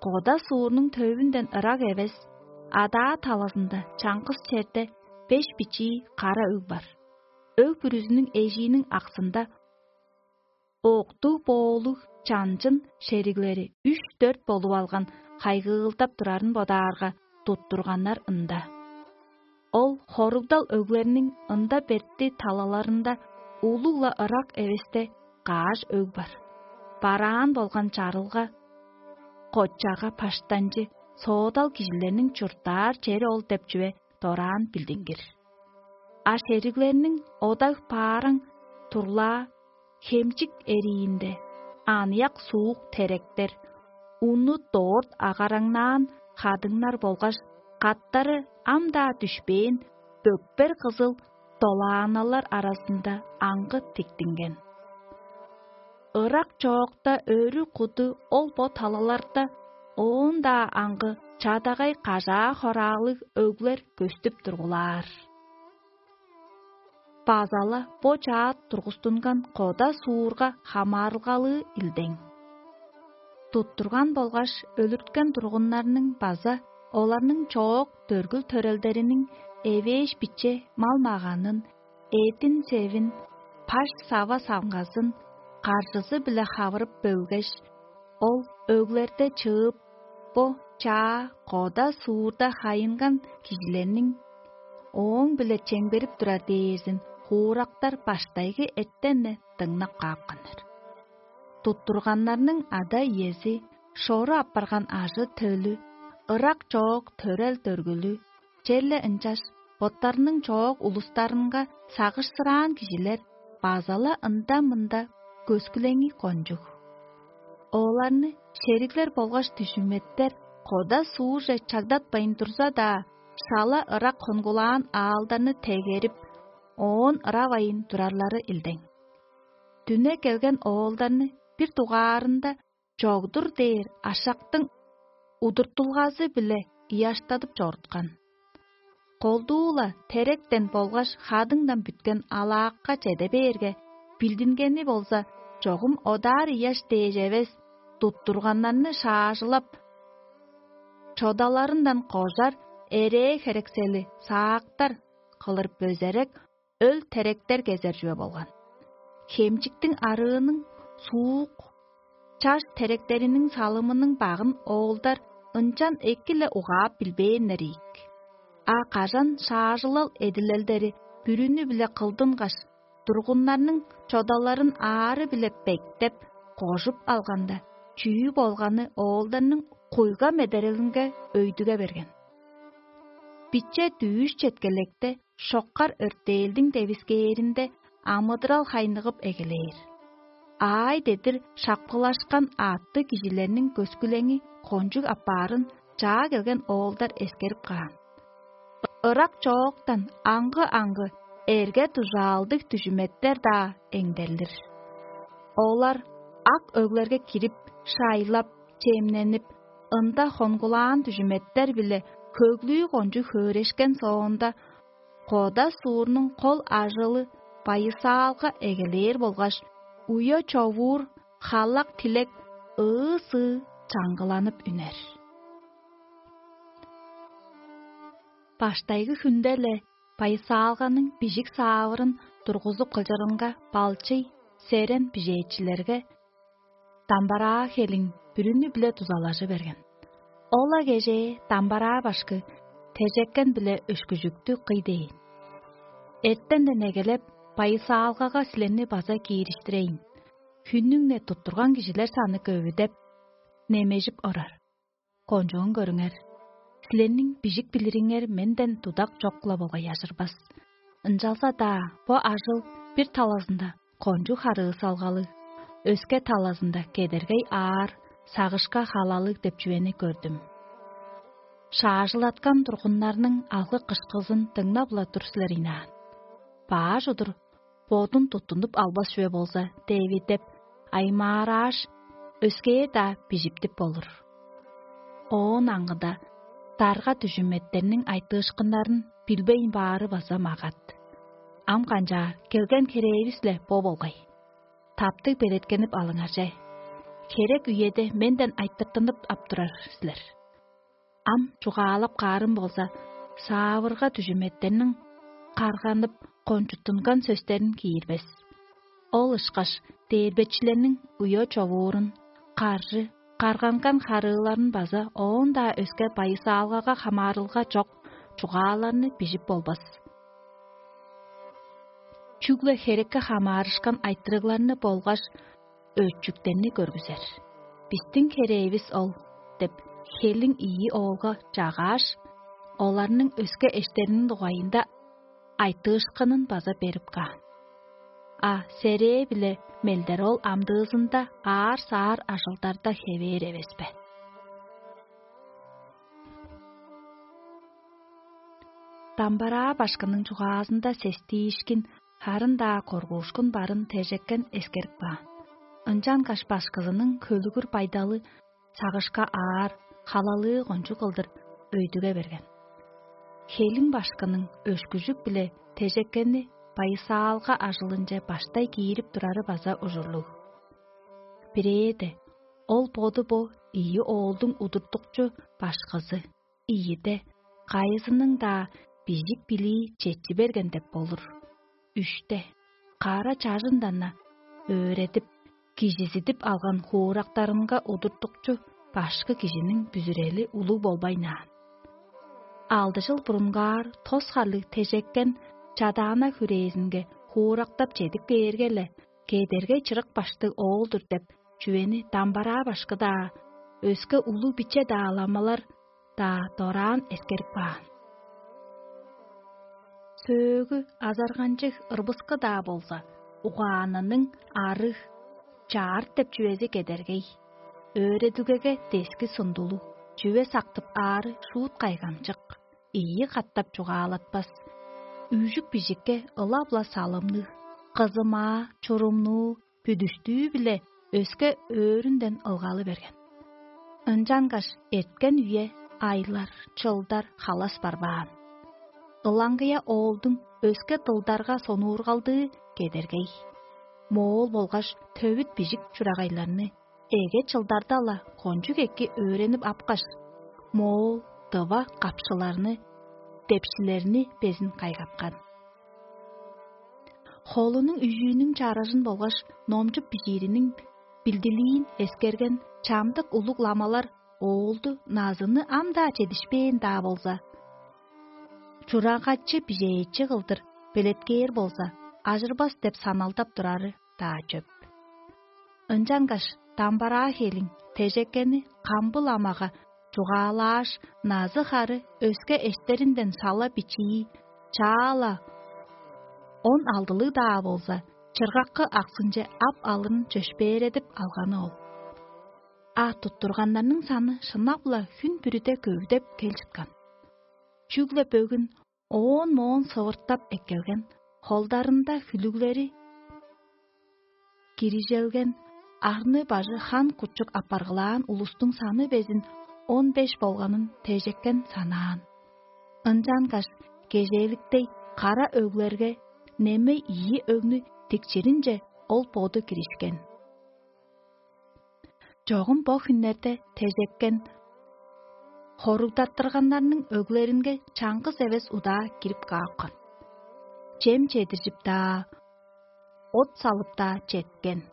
Кода суурнуң төвүнден ырак эвес, адаа талазында чаңгыс черде беш бичии кара өг бар. Өг бүрүзүнүң эжииниң аксында октуг боолуг чанчын шериглери үш-дөрт болуп алган хайгыылдап турарын бодаарга, туттурганнар ында. Ол хоругдал өглерниң ында бертти талаларында улуг-ла ырак эвесте каш өг бар. Бараан болган чарылга, коччага паштанчы соодал кижилерниң чурттаар чери ол деп чүве дораан билдингир. А шериглерниң одаг-паараң турлаа хемчик эриинде аныяк суук теректер, уну дорт агараңнаан хадыңнар болгаш каттары ам-даа дүшпээн бөкпер кызыл долааналар аразында аңгы тиктинген. Ырак чоокта өрү куду ол бо талаларда оон-даа аңгы чадагай кажаа-хораалыг өглер көстүп тургулаар. База-ла бо чаат тургустунган кода суурга хамаарылгалыы илдең. Туттурган болгаш өлүрткен тургуннарның база оларның чоок дөргүл төрелдериниң эвээш биче мал-маганын, эдин-севин, паш сава-саңгазын каржызы-биле хавырып бөлгеш, ол өглерде чыып, бо чаа кода суурда хайынган кижилерниң ооң-биле чемгерип турар дээрзин хуурактар баштайгы эртен-не дыңнап каапканнар. Туттурганнарның ада-иези, шору апарган ажы-төлү, ырак чоок төрел-дөргүлү, черле ынчаш боттарының чоок улустарынга сагышсыраан кижилер база-ла ында-мында көскүлеңи кончуг. Оларны шериглер болгаш дүжүметтер кода суурже чагдатпайн турза-даа, шала ырак хонгулаан аалдарны тегерип, оон ыравайн турарлары илдең. Дүне келген оолдарны бир дугаарында чогдур дээр ашактың удуртулгазы-биле ыяштадып чоруткан. Колдуу-ла теректен болгаш хадыңдан бүткен алаакка чеде бээрге, билдингени болза, чогум одаар ыяш дээш эвес, туттурганнарны шаажылап, чодаларындан кожар эрээ херексели саактар кылыр бөзерек өл теректер кезер чүве болган. Хемчиктиң арыының суук чаш теректериниң салымының багын оолдар ынчан эки-ле угаап билбээннер ийик. А кажан шаажылал эдилелдери бүрүнү-биле кылдынгаш, тургуннарның чодаларын аары-биле бектеп, кожуп алганда, чүү болганы оолдарның куйга медерелинге өйдүге берген. Биче дүъш четкелекте шоккар өртээлдиң девискээринде амыдырал хайныгып эгелээр. Аай дедир шапкылашкан аъттыг кижилерниң көскүлеңи кончуг апаарын чаа келген оолдар эскерип каан. Ырак чооктан аңгы-аңгы эрге-дужаалдыг дүжүметтер-даа эңдерлир. Олар ак өглерге кирип, шайлап, чемненип, ында хонгулаан дүжүметтер-биле хөглүү кончуг хөөрешкен соонда, кода суурнуң кол ажылы байысаалга эгелээр болгаш, уя човуур халак-тилек ыы-сыы чаңгыланып үнер. Баштайгы хүнде-ле байысаалганың бижик саавырын тургузуп кылчырынга балчый, серен бижээчилерге дамбараа хелиң бүрүнү-биле дузалажы берген. Ол-ла кежээ дамбараа башкы тежеккен-биле өшкүжүктү кый дээн. Эртенден эгелеп, байысаалгага силерни база киириштирейн. Хүннүң-не туттурган кижилер саны көвүдеп, немежип орар. Кончуун көрүңер, силерниң бижик билириңер менден тудак чок-ла болгай ажырбас. Ынчалза-даа бо ажыл бир талазында кончуг харыысалгалыг, өске талазында кедергей аар, сагышка халалыг деп чүвени көрдүм. Шаажылаткан тургуннарның алгы-кышкызын дыңнап-ла тур силер ыйнаан. Баш удур бодун туттунуп албас чүве болза, Девидеп, аймаарааш, өскээр-даа бижиптип болур. Оон аңгыда дарга дүжүметтерниң айтыышкыннарын билбейн баары база магат. Ам канчаар, келген херээвис-ле бо болгай. Таптыг белеткенип алыңар че. Херек үеде менден айтыртынып ап турар силер. Ам чугаалап каарым болза, саавырга дүжүметтерниң карганып кончуттунган сөстерин киирбес. Ол ышкаш дээрбечилерниң уя човуурун, каржы, карганган харыыларын база оон-даа өске байысаалгага хамаарылга чок чугааларны бижип болбас. Чүгле херекке хамаарышкан айтырыгларны болгаш өчүктерни көргүзер. «Бистиң херээвис ол» – деп, хелиң ийи оолга чагааш, оларның өске эштериниң дугайында айтыышкынын база берип каан. А серээ-биле мелдер ол амдыызында аар-саар ажылдарда хевээр эвес бе? Дамбараа башкының чугаазында сестиишкин, харын-даа коргуушкун барын тежеккен эскерип каан. Ынчангаш башкызының хөлүгүр байдалы сагышка аар, халалыы кончуг кылдыр өйдүге берген. Хелиң башкының өшкүжүк-биле тежеккени байысаалга ажылынче баштай киирип турары база ужурлуг. Бирээде, ол боду бо ийи оолдуң удуртукчу башкызы, ийиде, кайызының-даа бижик билии четчи берген деп болур. Үште, кара чажындан-на өөредип, кижизидип алган хуурактарынга удуртукчу башкы кижиниң бүзүрели улуг болбайн аан. Алды чыл бурунгаар тос харлыг тежеккен чадаана хүрээзинге хуурактап чедип кээрге-ле, кедергей чырык баштыг оол-дур деп чүвени дамбараа башкы-даа, өске улуг-биче-даа ламалар-даа дораан эскерип каан. Сөөгү азарганчыг ырбыскы-даа болза, угаанының арыг, чаарт деп чүвези кедергей, өөредүгеге дески сундулуг, чүве сактып аары шуут кайгамчык, ийи катап чугаалатпас, үжүк-бижикке ылап-ла салымныг, кызымаа, чурумнуу, бүдүштүү-биле өске өөрүнден ылгалы берген. Ынчангаш эрткен үе, айлар, чылдар халас барбаан. Ылаңгыя оолдуң өске дылдарга сонуургалдыы кедергей. Моол болгаш төвүт бижик чурагайларны эге чылдарда-ла кончуг эки өөренип апкаш, моол, дыва капшыларны, депшилерни безин кайгаткан. Холунуң үжүүнүң чаражын болгаш номчуп бижиириниң билдилиин эскерген чамдык улуг ламалар оолду назыны ам-даа чедишпээн-даа болза, чурагачы бижээчи кылдыр белеткээр болза, ажырбас деп саналдап турары-даа чөп. Ынчангаш дамбараа хелиң тежеккени камбыл амага чугаалааш, назы-хары өске эштеринден сала бичии, чаа-ла он алдылыг-даа болза, чыргаккы аксынче ап алырын чөпшээредип алганы ол. А туттурганнарның саны шынап-ла хүн бүрүде көвүдеп кел чыткан. Чүгле бөгүн оон-моон сывыртап эккелген, холдарында хүлүглери кирижелген, арны-бажы хан-кучук апаргылаан улустуң саны безин он беш болганын тежеккен санаан. Ынчангаш кежээликтей кара өглерге немей ийи өгнү тикчиринче ол боду киришкен. Чогум бо хүннерде тежеккен хоругдаттырганнарның өглеринге чаңгыс эвес удаа кирип каапкан. Чем чедиржип-даа, от салып-даа четкен.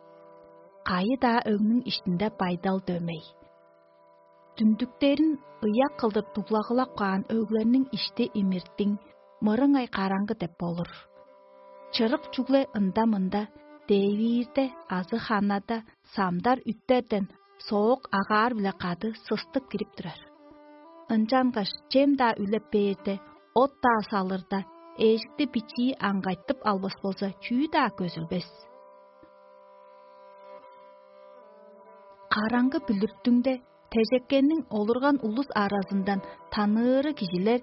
Кайы-даа өгнүң иштинде байдал дөмей. Дүндүктерин ыяк кылдыр дуглагылап каан өглерниң ишти имиртиң, мырыңай караңгы деп болур. Чырык чүгле ында-мында, дээвиирде азы ханада самдар үттерден соок агаар-биле кады сыстып кирип турар. Ынчангаш чем-даа үлеп бээрде, от-даа салырда, эжикти бичии аңгайтып албас болза, чүү-даа көзүлбес. Караңгы бүлүрттүңде тежеккенниң олурган улус аразындан таныыры кижилер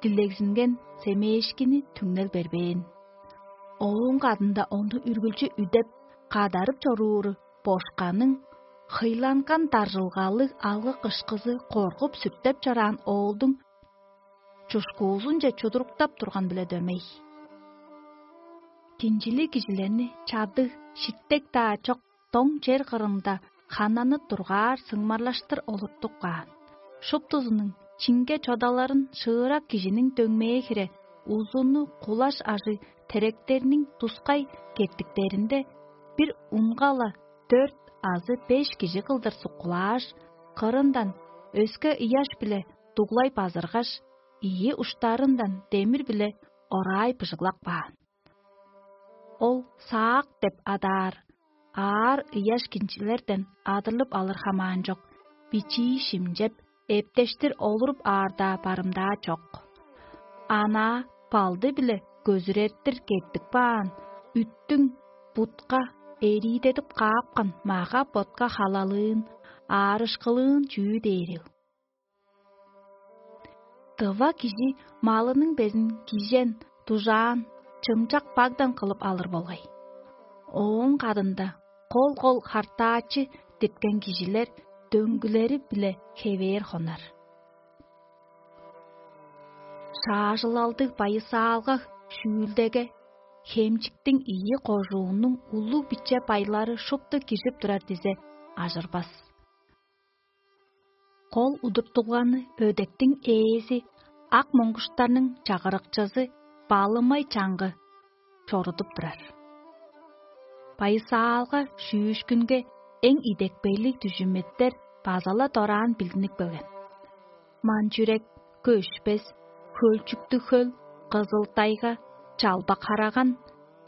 дилегзинген семээшкини түңнел бербээн. Ооң кадында ону үргүлчү үдеп, кадарып чорууру бошканың Кыйланган даржылгалыг алгы кышкызы коргуп сүртеп чораан оолдуң чушкуузунче чудуруктап турган-биле дөмей. Кинчилиг кижилерни чадыг, шиттек-даа чок доң чер кырында ханнанып тургаар сыңмарлаштыр олуртуп каан. Шуптузунуң чинге чодаларын шыырак кижиниң дөңмээ хире узуну кулаш ажыг теректерниң тускай кеттиктеринде бир унгала дөрт азы беш кижи кылдыр суккулааш, кырындан өске ыяш-биле дуглай базыргаш, ийи уштарындан демир-биле ораай быжыглап каан. Ол саак деп адаар аар ыяш кинчилерден адырлып алыр хамаан чок, бичии шимчеп, эптештир олуруп аарда барымдаа чок. Анаа балды-биле көзүрертир кеттип каан, үттүң бутка эриидедип каапкан мага-ботка халалыын, аарышкылыын чүү дээрил? Дыва кижи малының безин кижен, дужаан, чымчак багдан кылып алыр болгай. Ооң кадында кол-кол хартаачы диткен кижилер дөңгүлери-биле хевээр хонар. Шаажылалдыг байысаалга шүүлдеге хемчиктиң ийи кожуунуң улуг-биче байлары шупту киржип турар дизе ажырбас. Кол удуртугланы өдектиң ээзи, ак моңгуштарның чагырыкчызы балымай чаңгы чорудуп турар. Байысаалга шүүшкүнге эң идепкейлиг дүжүметтер база-ла дораан билдинип келген. Манчүрек, көшпес, хөлчүктүг хөл, кызыл-тайга, чалбак-хараган,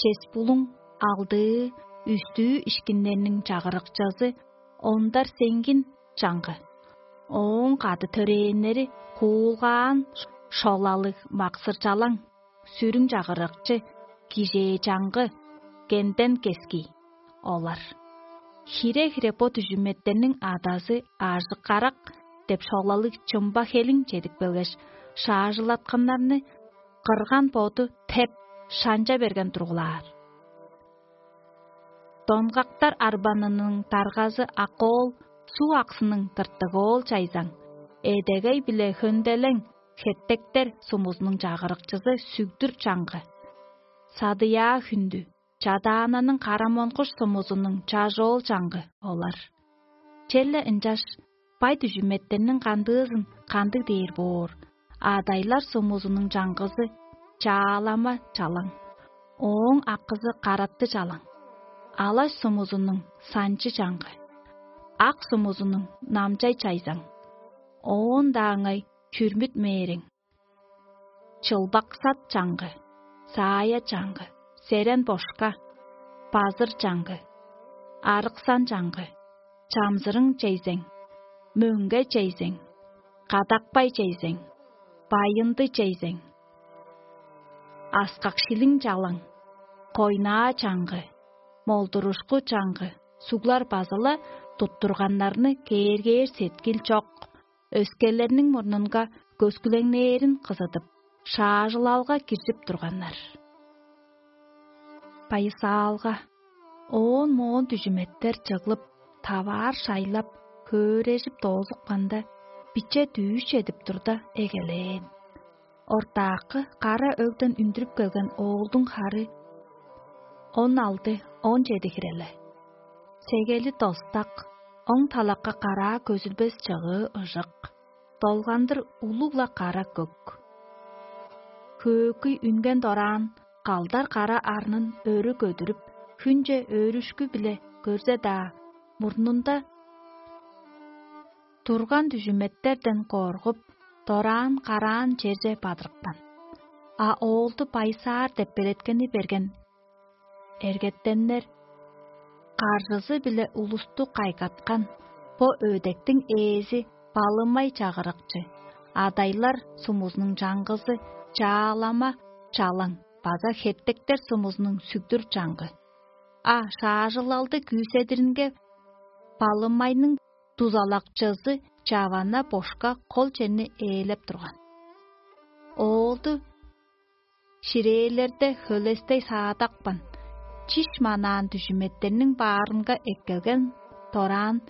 чес-булуң, алдыы, үстүү ишкиннерниң чагырыкчызы ондар сеңгин чаңгы. Ооң кады төрээннери куулгаан шолалыг максыр-чалаң, сүрүң чагырыкчы, кижээ чаңгы, кенден кески олар. Хире-хире бо дүжүмметтерниң адазы Ажык-карак деп шолалыг чымба хелиң чедип келгеш, шаажылатканнарны кырган боду теп шанча берген тургулаар. Донгактар арбанының даргазы Акоол, суг аксының тыртык оол чайзаң, эдегей биле хөнделең хеттектер сумузунуң чагырыкчызы сүгдүр чаңгы, садыяа хүндү, чадаананың карамонкуш сумузунуң чажоол чаңгы олар. Черле ынчаш бай дүжүметтерниң кандыызын кандыг дээр боор, адайлар сумузунуң чаңгызы чаалама чалаң, ооң акызы каратты чалаң, алаш сумузунуң санчы чаңгы, ак сумузунуң намчай чайзаң, оон-даа ыңай чүрмүт мээрең, чылбаксат чаңгы, саая чаңгы, серен бошка, базыр чаңгы, арыксан чаңгы, чамзырың чейзең, мөңге чейзең, кадакпай чейзең, байынды чейзең, аскак шилиң чалаң, койнаа чаңгы, молдурушку чаңгы суглар база-ла туттурганнарны кээргээр сеткил чок, өскелерниң мурнунга көскүлеңнээрин кызыдып, шаажылалга киржип турганнар. Байысаалга, оон-моон дүжүметтер чыглып, таваар шайлап, хөөрежип доозупканда, биче дүүш чедип турда эгелээн. Ортаакы кара өгден үндүрүп келген оолдуң хары он алды, он чеди хиреле. Сегели достак, оң талакка караа көзүлбес чыгыы ыжык, долгандыр улуг-ла кара көк. Хөөкүй үнген дораан, калдар кара арнын өрү көдүрүп, хүнче өөрүшкү-биле көрзе-даа, мурнунда турган дүжүметтерден коргуп, дораан караан черже бадырыпкан. А оолду байсаар деп белеткени берген эргеттеннер каржызы-биле улусту кайгаткан бо өөдектиң ээзи балымай чагырыкчы, адайлар сумузунуң чаңгызы чаалама чалаң база хеттектер сумузунуң сүгдүр чаңгы. А шаажылалды күүседиринге балымайның дузалакчызы чавана бошка кол черни ээлеп турган. Оолду ширээлерде хөлестей саадакпан, чиш манаан дүжүметтерниң баарынга эккелген дораан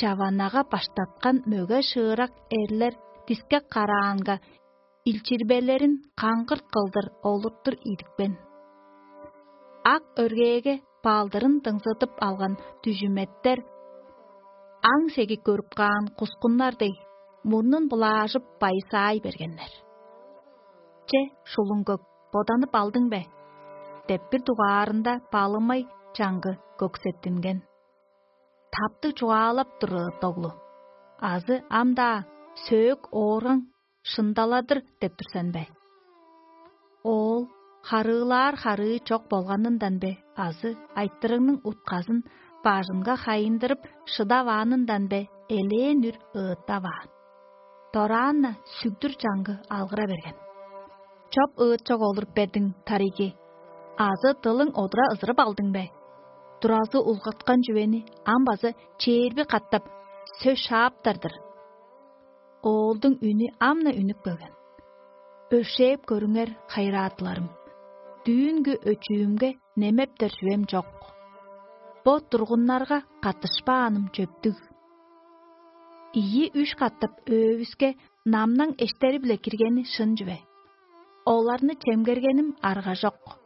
чаванага баштаткан мөге шыырак эрлер дискек караанга илчирбелерин каңгырт кылдыр олуртур идипкен. Ак өргээге балдырын дыңзыдып алган дүжүметтер аң сеги көрүп каан кускуннар дег, мурнун булаажып, байысаай бергеннер. «Че, шулуң көк, боданып алдың бе?» — деп бир дугаарында балымай чаңгы көксеттинген. «Таптыг чугаалап тур, ыт оглу. Азы ам-даа сөөк ооргаң шындаладыр деп тур сен бе?» Оол харыылаар харыы чок болганындан бе, азы айтырыгның утказын бажынга хайындырып шыдаваанындан бе, элээн үр ыыттаваан. Дораан-на сүгдүр чаңгы алгыра берген: «Чоп ыытчок олуруп бердиң, тарыйги? Азы дылың одура ызырып алдың бе? Туразы улгаткан чүвени ам база чээрби катап сөс шааптар-дыр». Оолдуң үнү ам-на үнүп келген: «Өршээп көрүңер, хайыраатыларым. Дүүнгү өчүүмге немептер чүвем чок. Бо тургуннарга каттышпааным чөптүг. Ийи-үш катап өөвүске намнаң эштери-биле киргени шын чүве. Оларны чемгергеним арга чок.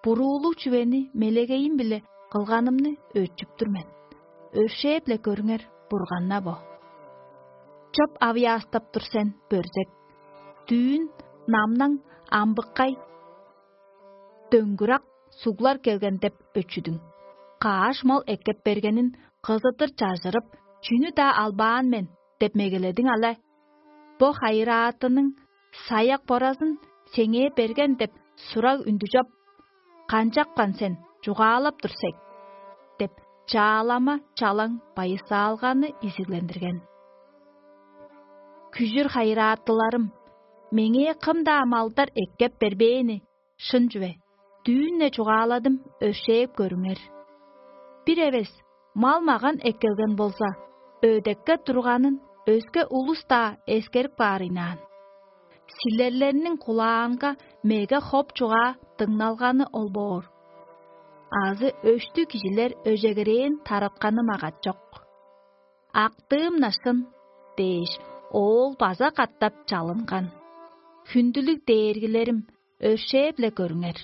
Буруулуг чүвени мелегейим-биле кылганымны өчүп тур мен. Өршээп-ле көрүңер, Бурган-на бо. Чоп авыяастап тур сен, бөрзек. Дүүн намнаң амбыккай, дөңгүрак суглар келген деп өчүдүң. Кааш мал эккеп бергенин кызыдыр чажырып, чүнү-даа албаан мен деп мегеледиң але. Бо хайыраатының саяк боразын сеңээ берген деп сураг үндү чоп. Канчапкан сен, чугаалап тур сек?» — деп чаалама чалаң байысаалганы изиглендирген. «Күжүр хайыраатыларым, меңээ кым-даа малдар эккеп бербээни шын чүве, дүүн-не чугааладым, өршээп көрүңер. Бир эвес мал-маган эккелген болза, өдекке турганын өске улус-даа эскерип каар ыйнаан. Силерлерниң кулаанга меге хоп чугаа дыңналганы ол боор. Азы өштүг кижилер өжегерээн таратканы магат чок. Актыым-на шын» — дээш, оол база катап чалынган: «Хүндүлүг дээргилерим, өршээп-ле көрүңер.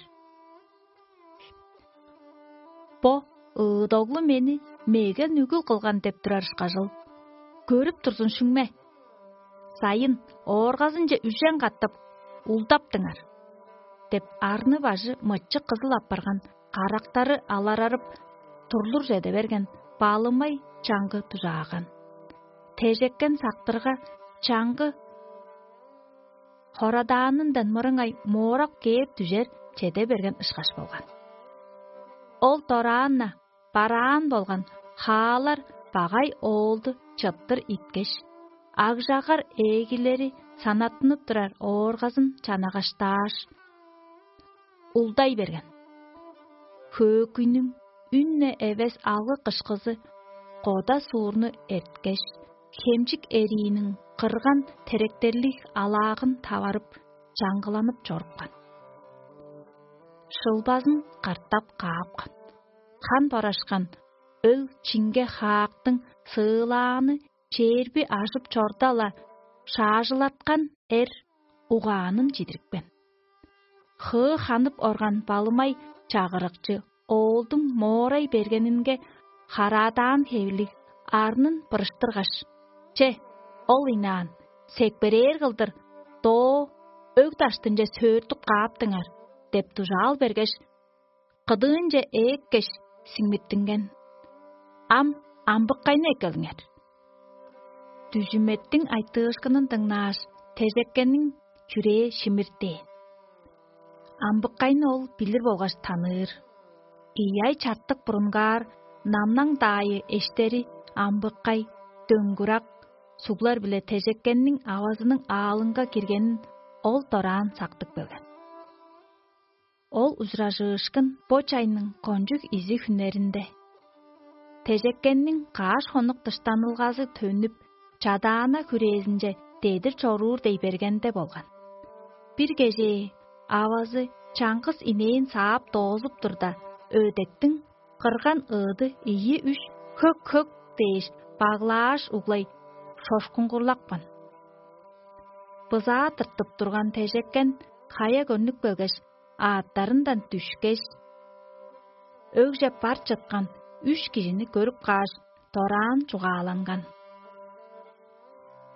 Бо ыыдоглу мени мегел нүгүл кылган деп турар ышкажыл. Көрүп турзун шүңме? Сайын ооргазынче үжен катап улдаптыңар» — деп, арны-бажы мычык кызыл апарган, карактары аларарып, турлур чеде берген балымай чаңгы дужааган. Тежеккен сактырга, чаңгы хорадаанындан мырыңай моорак кээп дүжер чеде берген ышкаш болган. Ол дораан-на бараан болган хаалар багай оолду чыптыр иткеш, агжагар ээлери санаттынып турар ооргазын чанагаштааш, улдай берген. Хөөкүйнүң үн-не эвес алгы-кышкызы кода суурну эрткеш, хемчик эрииниң кырган теректерлиг алаагын таварып, чаңгыланып чорупкан. Шылбазын картап каапкан. Хан борашкан өл-чиңге хаактың сыылааны чээрби ажып чорда-ла, шаажылаткан эр угаанын чидирипкен. Хыы ханып орган балымай чагырыкчы оолдуң моорай бергенинге хараадаан хевирлиг арнын бырыштыргаш: «Че, ол ыйнаан, секпирээр кылдыр доо өг даштынче сөөртүп кааптыңар» — деп дужаал бергеш, кыдыынче ээккеш, сиңмиттинген. «Ам амбыккайны эккелиңер». Дүжүметтиң айтыышкынын дыңнааш, тежеккенниң чүрээ шимирттээн. Амбыккайны ол билир болгаш таныыр. Ийи ай чартык бурунгаар намнаң даайы эштери амбыккай, дөңгүрак суглар-биле тежеккенниң авазының аалынга киргенин ол дораан сактып келген. Ол ужуражыышкын бо чайның кончуг изиг хүннеринде, тежеккенниң каш хонук дыштанылгазы төнүп, чадаана хүрээзинче дедир чоруур дей бергенде болган. Бир кежээ авазы чаңгыс инээн саап доозуп турда, өдектиң кырган ыыды ийи-үш «Хөк-хөк» дээш, баглааш углай шошкуңгурлапкан. Бызаа тыртып турган тежеккен хая көрнүп келгеш, аъттарындан дүшкеш, өгже бар чыткан үш кижини көрүп кааш, дораан чугааланган: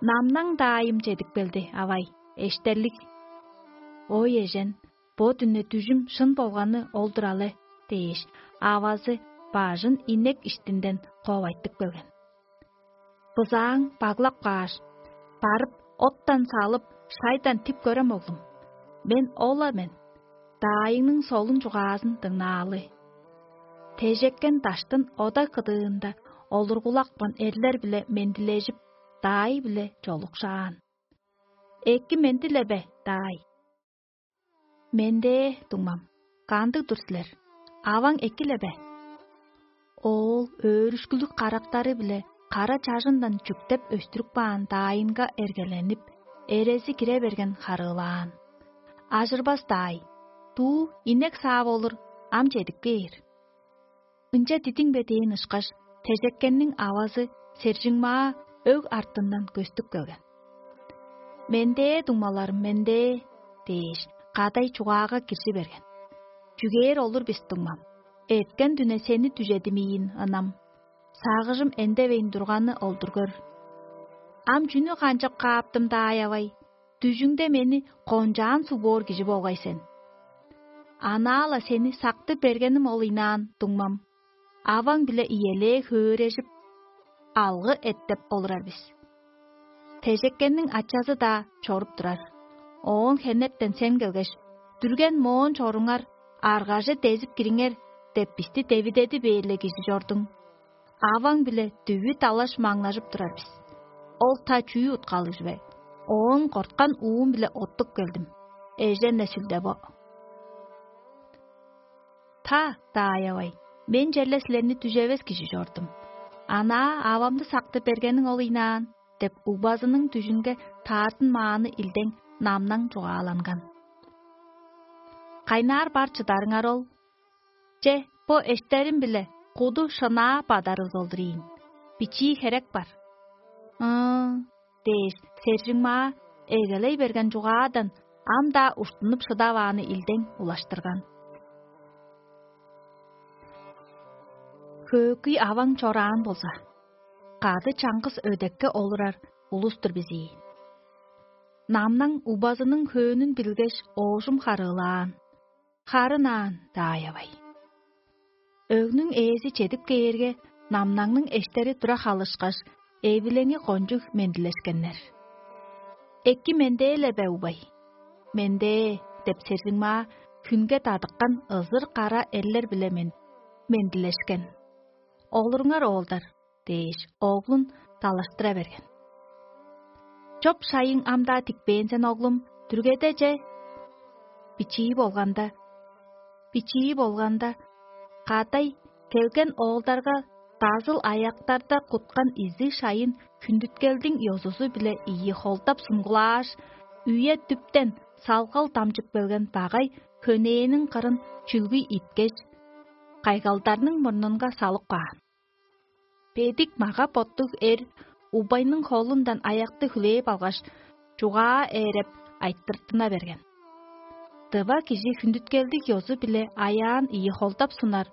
«Намнаң даайым чедип келди, авай, эштерлиг». «Ой, эжен, бо дүне дүжүм шын болганы ол-дур але» – дээш, авазы бажын инек иштинден ковайтып келген. Бызааң баглап кааш: «Барып, оттан салып, шайдан тип көрем, оглум. Мен ол-ла мен. Даайыңның солун чугаазын дыңнаалы». Тежеккен даштын ода кыдыында олургулакпан эрлер-биле мендилежип, даай-биле чолукшаан. «Эки менди-ле бе, даай?» «Мендээ, дуңмам. Кандыг-дур силер? Аваң эки-ле бе?» Оол өөрүшкүлүг карактары-биле кара чажындан чүктеп өстүрүп каан даайынга эргеленип, эрези кире берген харыылаан: «Ажырбас даай, дуу инек саап олур, ам чедип кээр». «Ынча дидиң бе?» – дээн ышкаш, тежеккенниң авазы Сержиңмаа өг артындан көстүп келген. «Мендээ, дуңмаларым, мендээ» – дээш, кадай чугаага киржи берген: «Чүгээр олур бис, дуңмам. Эрткен дүне сени дүжедим ийин, ынам. Сагыжым эндевейн турганы ол-дур көр. Ам чүнү канчап кааптым, даай-авай? Дүжүңде мени кончаан суг боор кижи болгай сен. Анаа-ла сени сактып бергеним ол ыйнаан, дуңмам. Аваң-биле иелээ хөөрежип, алгы эттеп олурар бис. Тежеккенниң ачазы-даа чоруп турар. Оон хенертен сен келгеш: „Дүрген моон чоруңар, аргаже дезип кириңер“ – деп бисти девидеди бээр-ле кижи чордуң. Аваң-биле дүвү далаш маңнажып турар бис. Ол та чүү уткалыг чүве? Оон корткан уум-биле оттуп келдим. Эжен-не сүлде бо». «Та, даай-авай, мен черле силерни дүжевес кижи чордум. Анаа авамны сактып бергениң ол ыйнаан» – деп, убазының дүжүнге таартынмааны илдең намнаң чугааланган. «Кайнаар бар чыдарыңар ол? Че, бо эштерим-биле куду шынаа бадарывыс ол-дур ийин. Бичии херек бар». «Ыы» – дээш, Сержиңмаа эгелей берген чугаадан ам-даа уштунуп шыдавааны илдең улаштырган. «Хөөкүй аваң чораан болза, кады чаңгыс өдекке олурар улус-тур бис ийин. Намнаң убазының хөөнүн билгеш, оожум харыылаан: „Харын аан, даай-авай“. Өгнүң ээзи чедип кээрге, намнаңның эштери тура халышкаш, эвилеңи кончуг мендилешкеннер. „Эки мендээ-ле бе, убай?“ „Мендээ“ – деп, Сержиңмаа хүнге дадыккан ызыр кара эрлер-биле мен мендилешкен. „Олуруңар, оолдар“ – дээш, оглун далаштыра берген. „Чоп-шайың ам-даа тикпээн сен, оглум, дүргеде че бичии болганда, бичии болганда, кадай келген оолдарга дазыл аяктарда куткан изиг шайын хүндүткелдиң ёзузу-биле ийи холдап сунгулааш, үе-дүптен салгал дамчып келген багай хөнээниң кырын чүлгүй иткеш, кайгалдарның мурнунга салып каан. Бедик мага-боттуг эр убайның холундан аякты хүлээп алгаш, чугаа ээреп, айтыртына берген: „Дыва кижи хүндүткелдиг ёзу-биле аяан ийи холдап сунар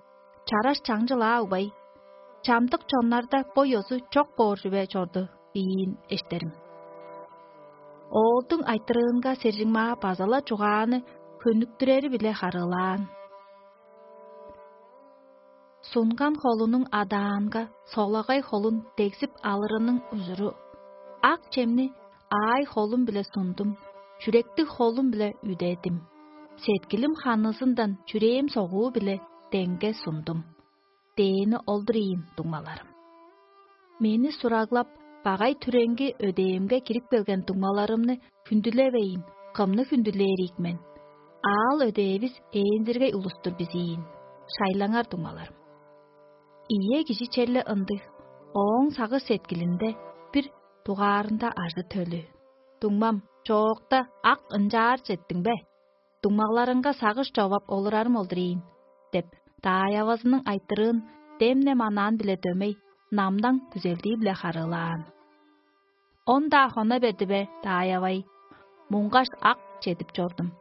чараш чаңчыл-аа, убай. Чамдык чоннарда бо ёзу чок боор чүве чорду“ – ийин эштерим». Оолдуң айтырыынга Сержиңмаа база-ла чугааны хөнүктүрери-биле харыылаан. Сунган холунуң адаанга солагай холун дегзип алырының ужуру: «Ак чемни аай холум-биле сундум, чүректиг холум-биле үдедим, сеткилим ханызындан чүрээм согуу-биле деңге сундум» – дээни ол-дур ийин, дуңмаларым. Мени сураглап, багай-түреңги өдээмге кирип келген дуңмаларымны хүндүлевейн, кымны хүндүлээр ийик мен? Аал-өдээвис ээнзиргей улус-тур бис ийин, шайлаңар, дуңмаларым. Ийе, кижи черле ындыг, ооң сагыш-сеткилинде бир дугаарында ажы-төлү: «Дуңмам, чоокта ак ынчаарже эттиң бе? Дуңмаларыңга сагыш човап олурарым ол-дур ийин» – деп, даай-авазының айтырыын дем-не манаан-биле дөмей, намдаң күзелдии-биле харыылаан. Он-даа хона берди бе, даай-авай? Муңгаш ак чедип чордум.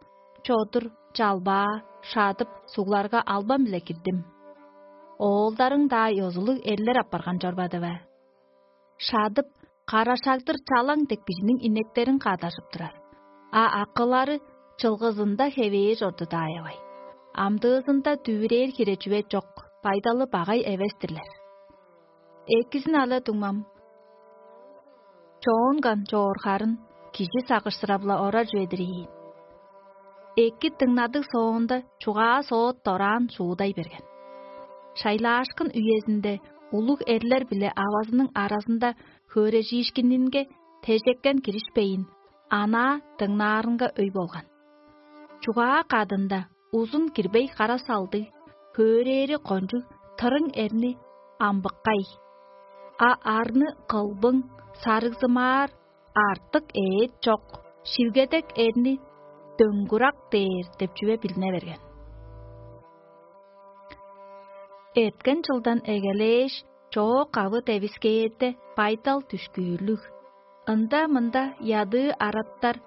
Чодур, чалбаа, шадып, сугларга албан-биле кирдим. Оолдарың-даа ёзулуг эрлер апарган чорбады бе? Шадып, карашагдыр чалаң дег кижиниң инектерин каадажып турар. А акылары чылгызында хевээр чорду, даай-авай. Амдыызында дүвүрээр хире чүве чок, байдалы багай эвес-тирлер. Экизин ала дуңмам. Чоон кан чоор харын, кижи сагышсырап-ла орар чүве-дир ийин. Эки дыңнадыг соонда, чугаа соот дораан шуудай берген. Шайлаашкын үезинде улуг эрлер-биле авазының аразында хөөрежиишкининге тежеккен киришпейн, анаа дыңнаарынга өй болган. Чугаа кадында узун кирбей кара салдыг, хөөрээри кончуг тырың эрни амбыккай, а арны кылбың, сарыгзымаар, артык ээт чок, шилгедек эрни дөңгурак дээр деп чүве билине берген. Эрткен чылдан эгелээш, чоок авы девискээрде байдал дүшкүүрлүг. Ында-мында ядыы араттар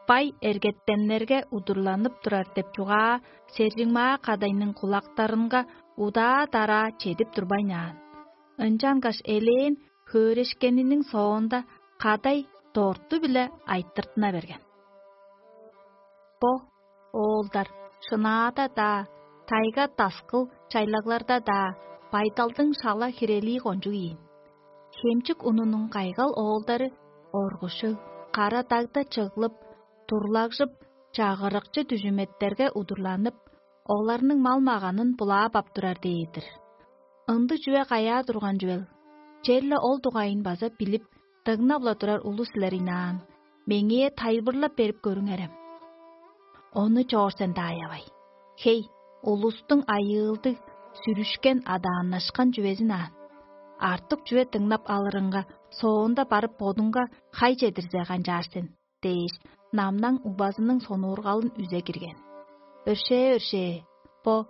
бай эргеттеннерге удурланып турар деп чугаа сержиңмаа кадайның кулактарынга удаа-дараа чедип турбайн аан. Ынчангаш элээн хөөрешкениниң соонда кадай дорту-биле айтыртына берген. Бо, оолдар, шынаада-даа, тайга-таскыл чайлагларда-даа байдалдың шала хирелии кончуг ийин. Хемчик унунуң кайгал оолдары оргушуг, кара дагда чыглып, турлагжып, чагырыкчы дүжүметтерге удурланып, оларның мал-маганын булаап ап турар дээр-дир. Ындыг чүве каяа турган чүвел? Черле ол дугайын база билип, дыңнап-ла турар улус силер ыйнаан, меңээ тайылбырлап берип көрүңерем. Ону чоор сен, даай-авай. Хей, улустуң айыылдыг, сүрүшкен, адааннашкан чүвезин аан. Артык чүве дыңнап алырыңга, соонда барып бодуңга хай чедирзе канчаар сен? Дээш, намнаң угбазының сонуургалын үзе кирген. Өршээ-өршээ, бо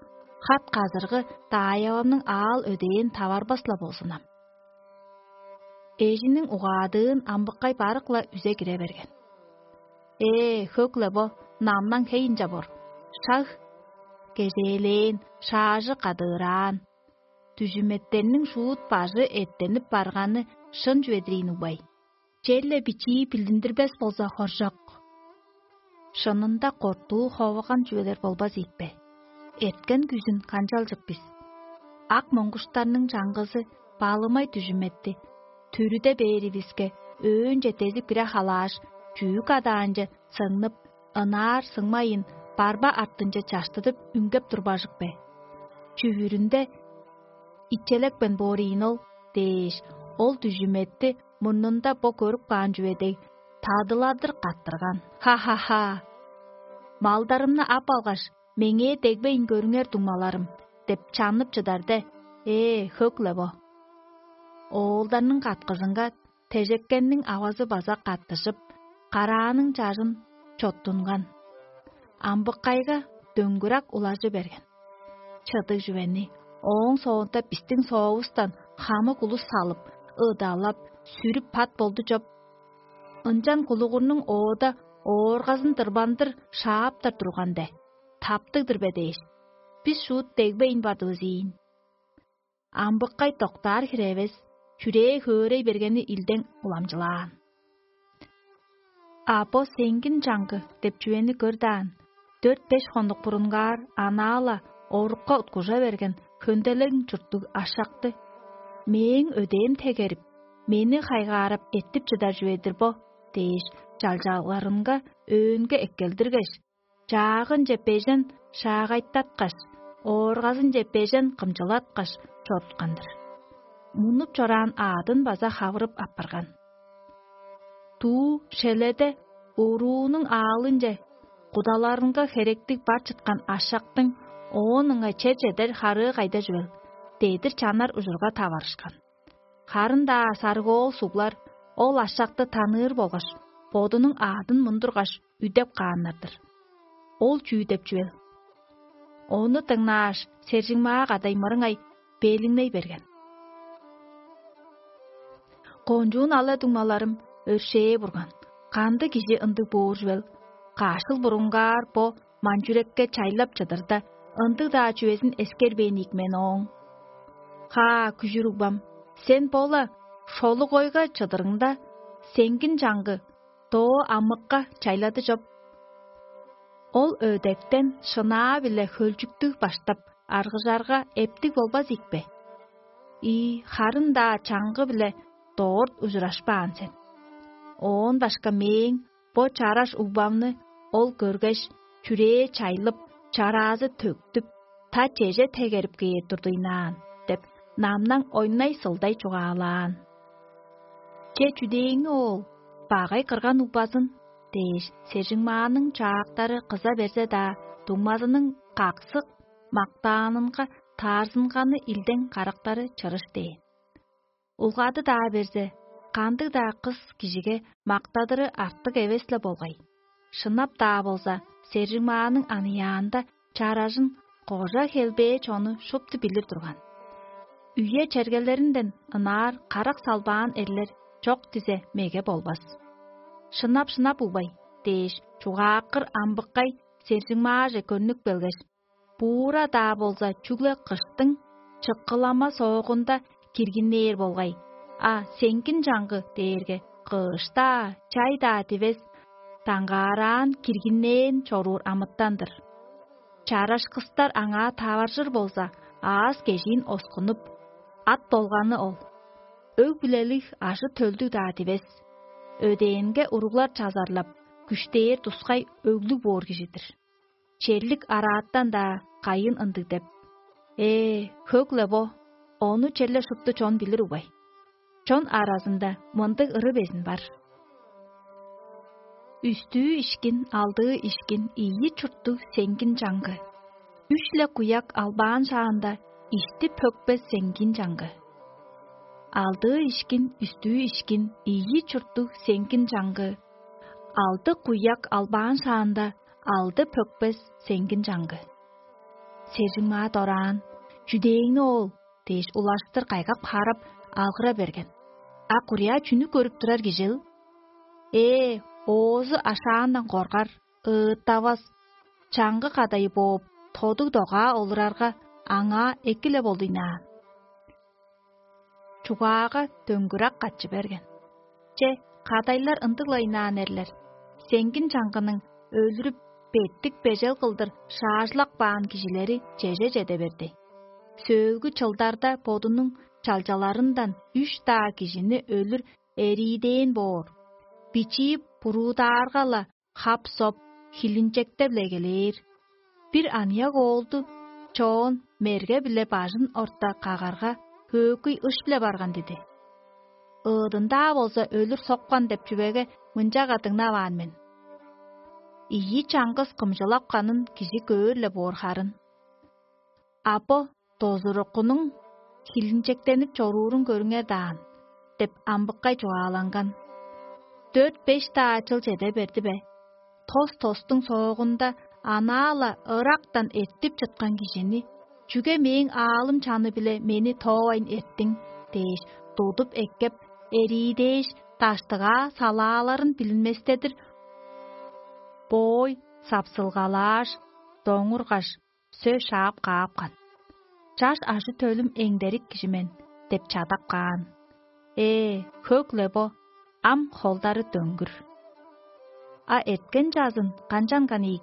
хат-казыргы даайавамның аал-өдээн таварбас-ла болзун ам. Эжиниң угаадыын амбыккай барык-ла үзе кире берген. Ээ, хөк-ле бо, намнаң хей ынча боор. Шаг! Кежээлээн, шаажы кадыыраан. Дүжүметтерниң шуут бажы эртенип барганы шын чүве-дир ийин угбай. Черле бичии билдиндирбес болза хоржок. Шынында кортуу ховаган чүвелер болбас ийикпе? Эрткен күзүн канчалчык бис? Ак моңгуштарның чаңгызы баалымай дүжүм этти. Түрүде бээривиске, өөнче дезип кире халааш, чүүк адаанче сыңнып, ынаар сыңмайын, барба артынче чаштыдып үнгеп турбажык бе? Чүвүрүнде: «Ичелепкен боор ийин ол» – дээш, ол дүжүм этти мурнунда бо көрүп каан чүве дег, тадыладыр каттырган. Ха-ха-ха! «Малдарымны ап алгаш, меңээ дегбейн көрүңер, дуңмаларым» – деп чаннып чыдар де. Ээ, хөк-ле бо! Оолдарның каткызынга тежеккенниң авазы база каттыжып, карааның чажын чоттунган. Амбыккайга дөңгүрак улажы берген. Чыдыг чүвени ооң соонда бистиң соовустан хамык улус салып, ыдалап, сүрүп пат болду чоп. Ынчан кулугурнуң оода ооргазын дырбандыр шааптар турган де, таптыг-дыр бе дээш, бис шуут дегбейн бардывыс ийин. Амбыккай доктаар хире эвес, чүрээ хөөрей бергени илдең уламчылаан. А бо сеңгин чаңгы деп чүвени көр даан, дөрт-беш хондук бурунгаар анаа-ла орукка уткужа берген хөнделең чурттуг ашакты: «Мээң өдээм тегерип, мени хайгаарап эртип чыдар чүве-дир бо» – дээш, чалчаларынга өөнге эккелдиргеш, чаагынче бежен шаагайтаткаш, ооргазынче бежен кымчылаткаш чоруткан-дыр. Мунуп чораан аъдын база хавырып апарган. Дуу шеледе уруунуң аалынче кудаларынга херектиг бар чыткан ашактың оон ыңай чер чедер харыы кайда чүвел? Дедир чанар ужурга таварышкан. Харын-даа сарыгоол суглар ол ашакты таныыр болгаш, бодунуң аъдын мундургаш, үдеп кааннар-дыр. Ол чүү деп чүвел? Ону дыңнааш, сержиңмаа кадай мырыңай белиңней берген. Кончуун ала-дуңмаларым, өршээ бурган, кандыг кижи ындыг боор чүвел? Каш чыл бурунгаар бо манчүрекке чайлап чыдырда, ындыг-даа чүвезин эскербээн ийик мен ооң. Ха, күжүр угбам, сен бо-ла шолугойга чыдырыңда, сеңгин чаңгы доо амыкка чайлады чоп. Ол өдектен шынаа-биле хөлчүктүг баштап, аргыжарга эптиг болбас ийикпе? Ийи, харын-даа чаңгы-биле дорт ужурашпаан сен. Оон башка мээң бо чараш угбамны ол көргеш, чүрээ чайлып, чараазы төктүп, та чеже тегерип кээр турдуйнаан деп, намнаң ойнай-сылдай чугаалаан. Че, чүдээңни, оол, багай кырган угбазын дээш, сержиңмааның чаактары кыза берзе-даа, дуңмазының каксык мактаанынга таарзынганы илдең карактары чырыш дээн. Улгады-даа берзе, кандыг-даа кыс кижиге мактадыры артык эвес-ле болгай. Шынап-даа болза, сержиңмааның аныяанда чаражын кожа хелбээ чону шупту билир турган. Үе-чергелеринден ынаар карак салбаан эрлер чок дизе меге болбас. Шынап-шынап угбай дээш, чугааккыр амбыккай сержиңмааже көрнүп келгеш, буура-даа болза, чүгле кыштың чыккылама соогунда киргиннээр болгай, а сеңгин чаңгы дээрге кыш-даа, чай-даа дивес, даңгаараан киргиннээн чоруур амытан-дыр. Чарашкыстар аңаа таваржыр болза, аас-кежиин оскунуп, ат долганы ол. Өг-бүлелиг ажы-төлдүг-даа дивес. Өдээнге уруглар чазарлап, күштээр тускай өглүг боор кижи-дир. Черлик арааттан-даа кайын ындыг деп: «Ээ, хөк-ле бо, ону черле шупту чон билир угбай». Чон аразында мындыг ыры безин бар: «Үстүү ишкин, алдыы ишкин, ийи чурттуг сеңгин чаңгы. Үш-ле куяк албаан шаанда, ишти пөкпес сеңгин чаңгы. Алдыы ишкин, үстүү ишкин, ийи чурттуг сеңгин чаңгы. Алды куяк албаан шаанда, алды пөкпес сеңгин чаңгы». Сержиңмаа дораан: «Чүдээңни, оол?» – дээш, улаштыр кайгап-харап, алгыра берген. А курьяа чүнү көрүп турар кижил? Ээ, оозу ашаандан коргар, ыыттавас, чаңгы кадайы бооп, тодуг-догаа олурарга, аңаа эки-ле болдуйнаан. Чугаага дөңгүрак катчы берген. Че, кадайлар ындыг-ла ыйнаан эрлер. Сеңгин чаңгының өлүрүп, беттик бежел кылдыр шаажылак баан кижилери чеже чеде берди. Сөөлгү чылдарда бодунуң чалчаларындан үш-даа кижини өлүр эриидээн боор. Бичии буруудаарга-ла, хап-соп, хилинчектеп-ле эгелээр. Бир аныяк оолду чоон мерге-биле бажын орта кагарга, хөөкүй ыш-биле барган диди. Ыыдын-даа болза өлүр соккан деп чүвеге мынчага дыңнаваан мен: «Ийи чаңгыс кымчылапканын кижи көөр-ле боор харын. А бо дозуруккунуң хилинчектенип чоруурун көрүңер даан» – деп амбыккай чугааланган. Дөрт-беш-даа чыл чеде берди бе, тос-тостуң соогунда анаа-ла ырактан эртип чыткан кижини: «Чүге мээң аалым чаны-биле мени тоовайн эрттиң?» – дээш, тудуп эккеп, эриидээш, даштыгаа салааларын билинместедир боой сапсылгалааш, доңургаш, сөс шаап каапкан. «Чаш ажы-төлүм эңдерик кижи мен» – деп чадап каан. Ээ, хөк-ле бо, ам холдары дөңгүр. А эрткен чазын канчанган ийик?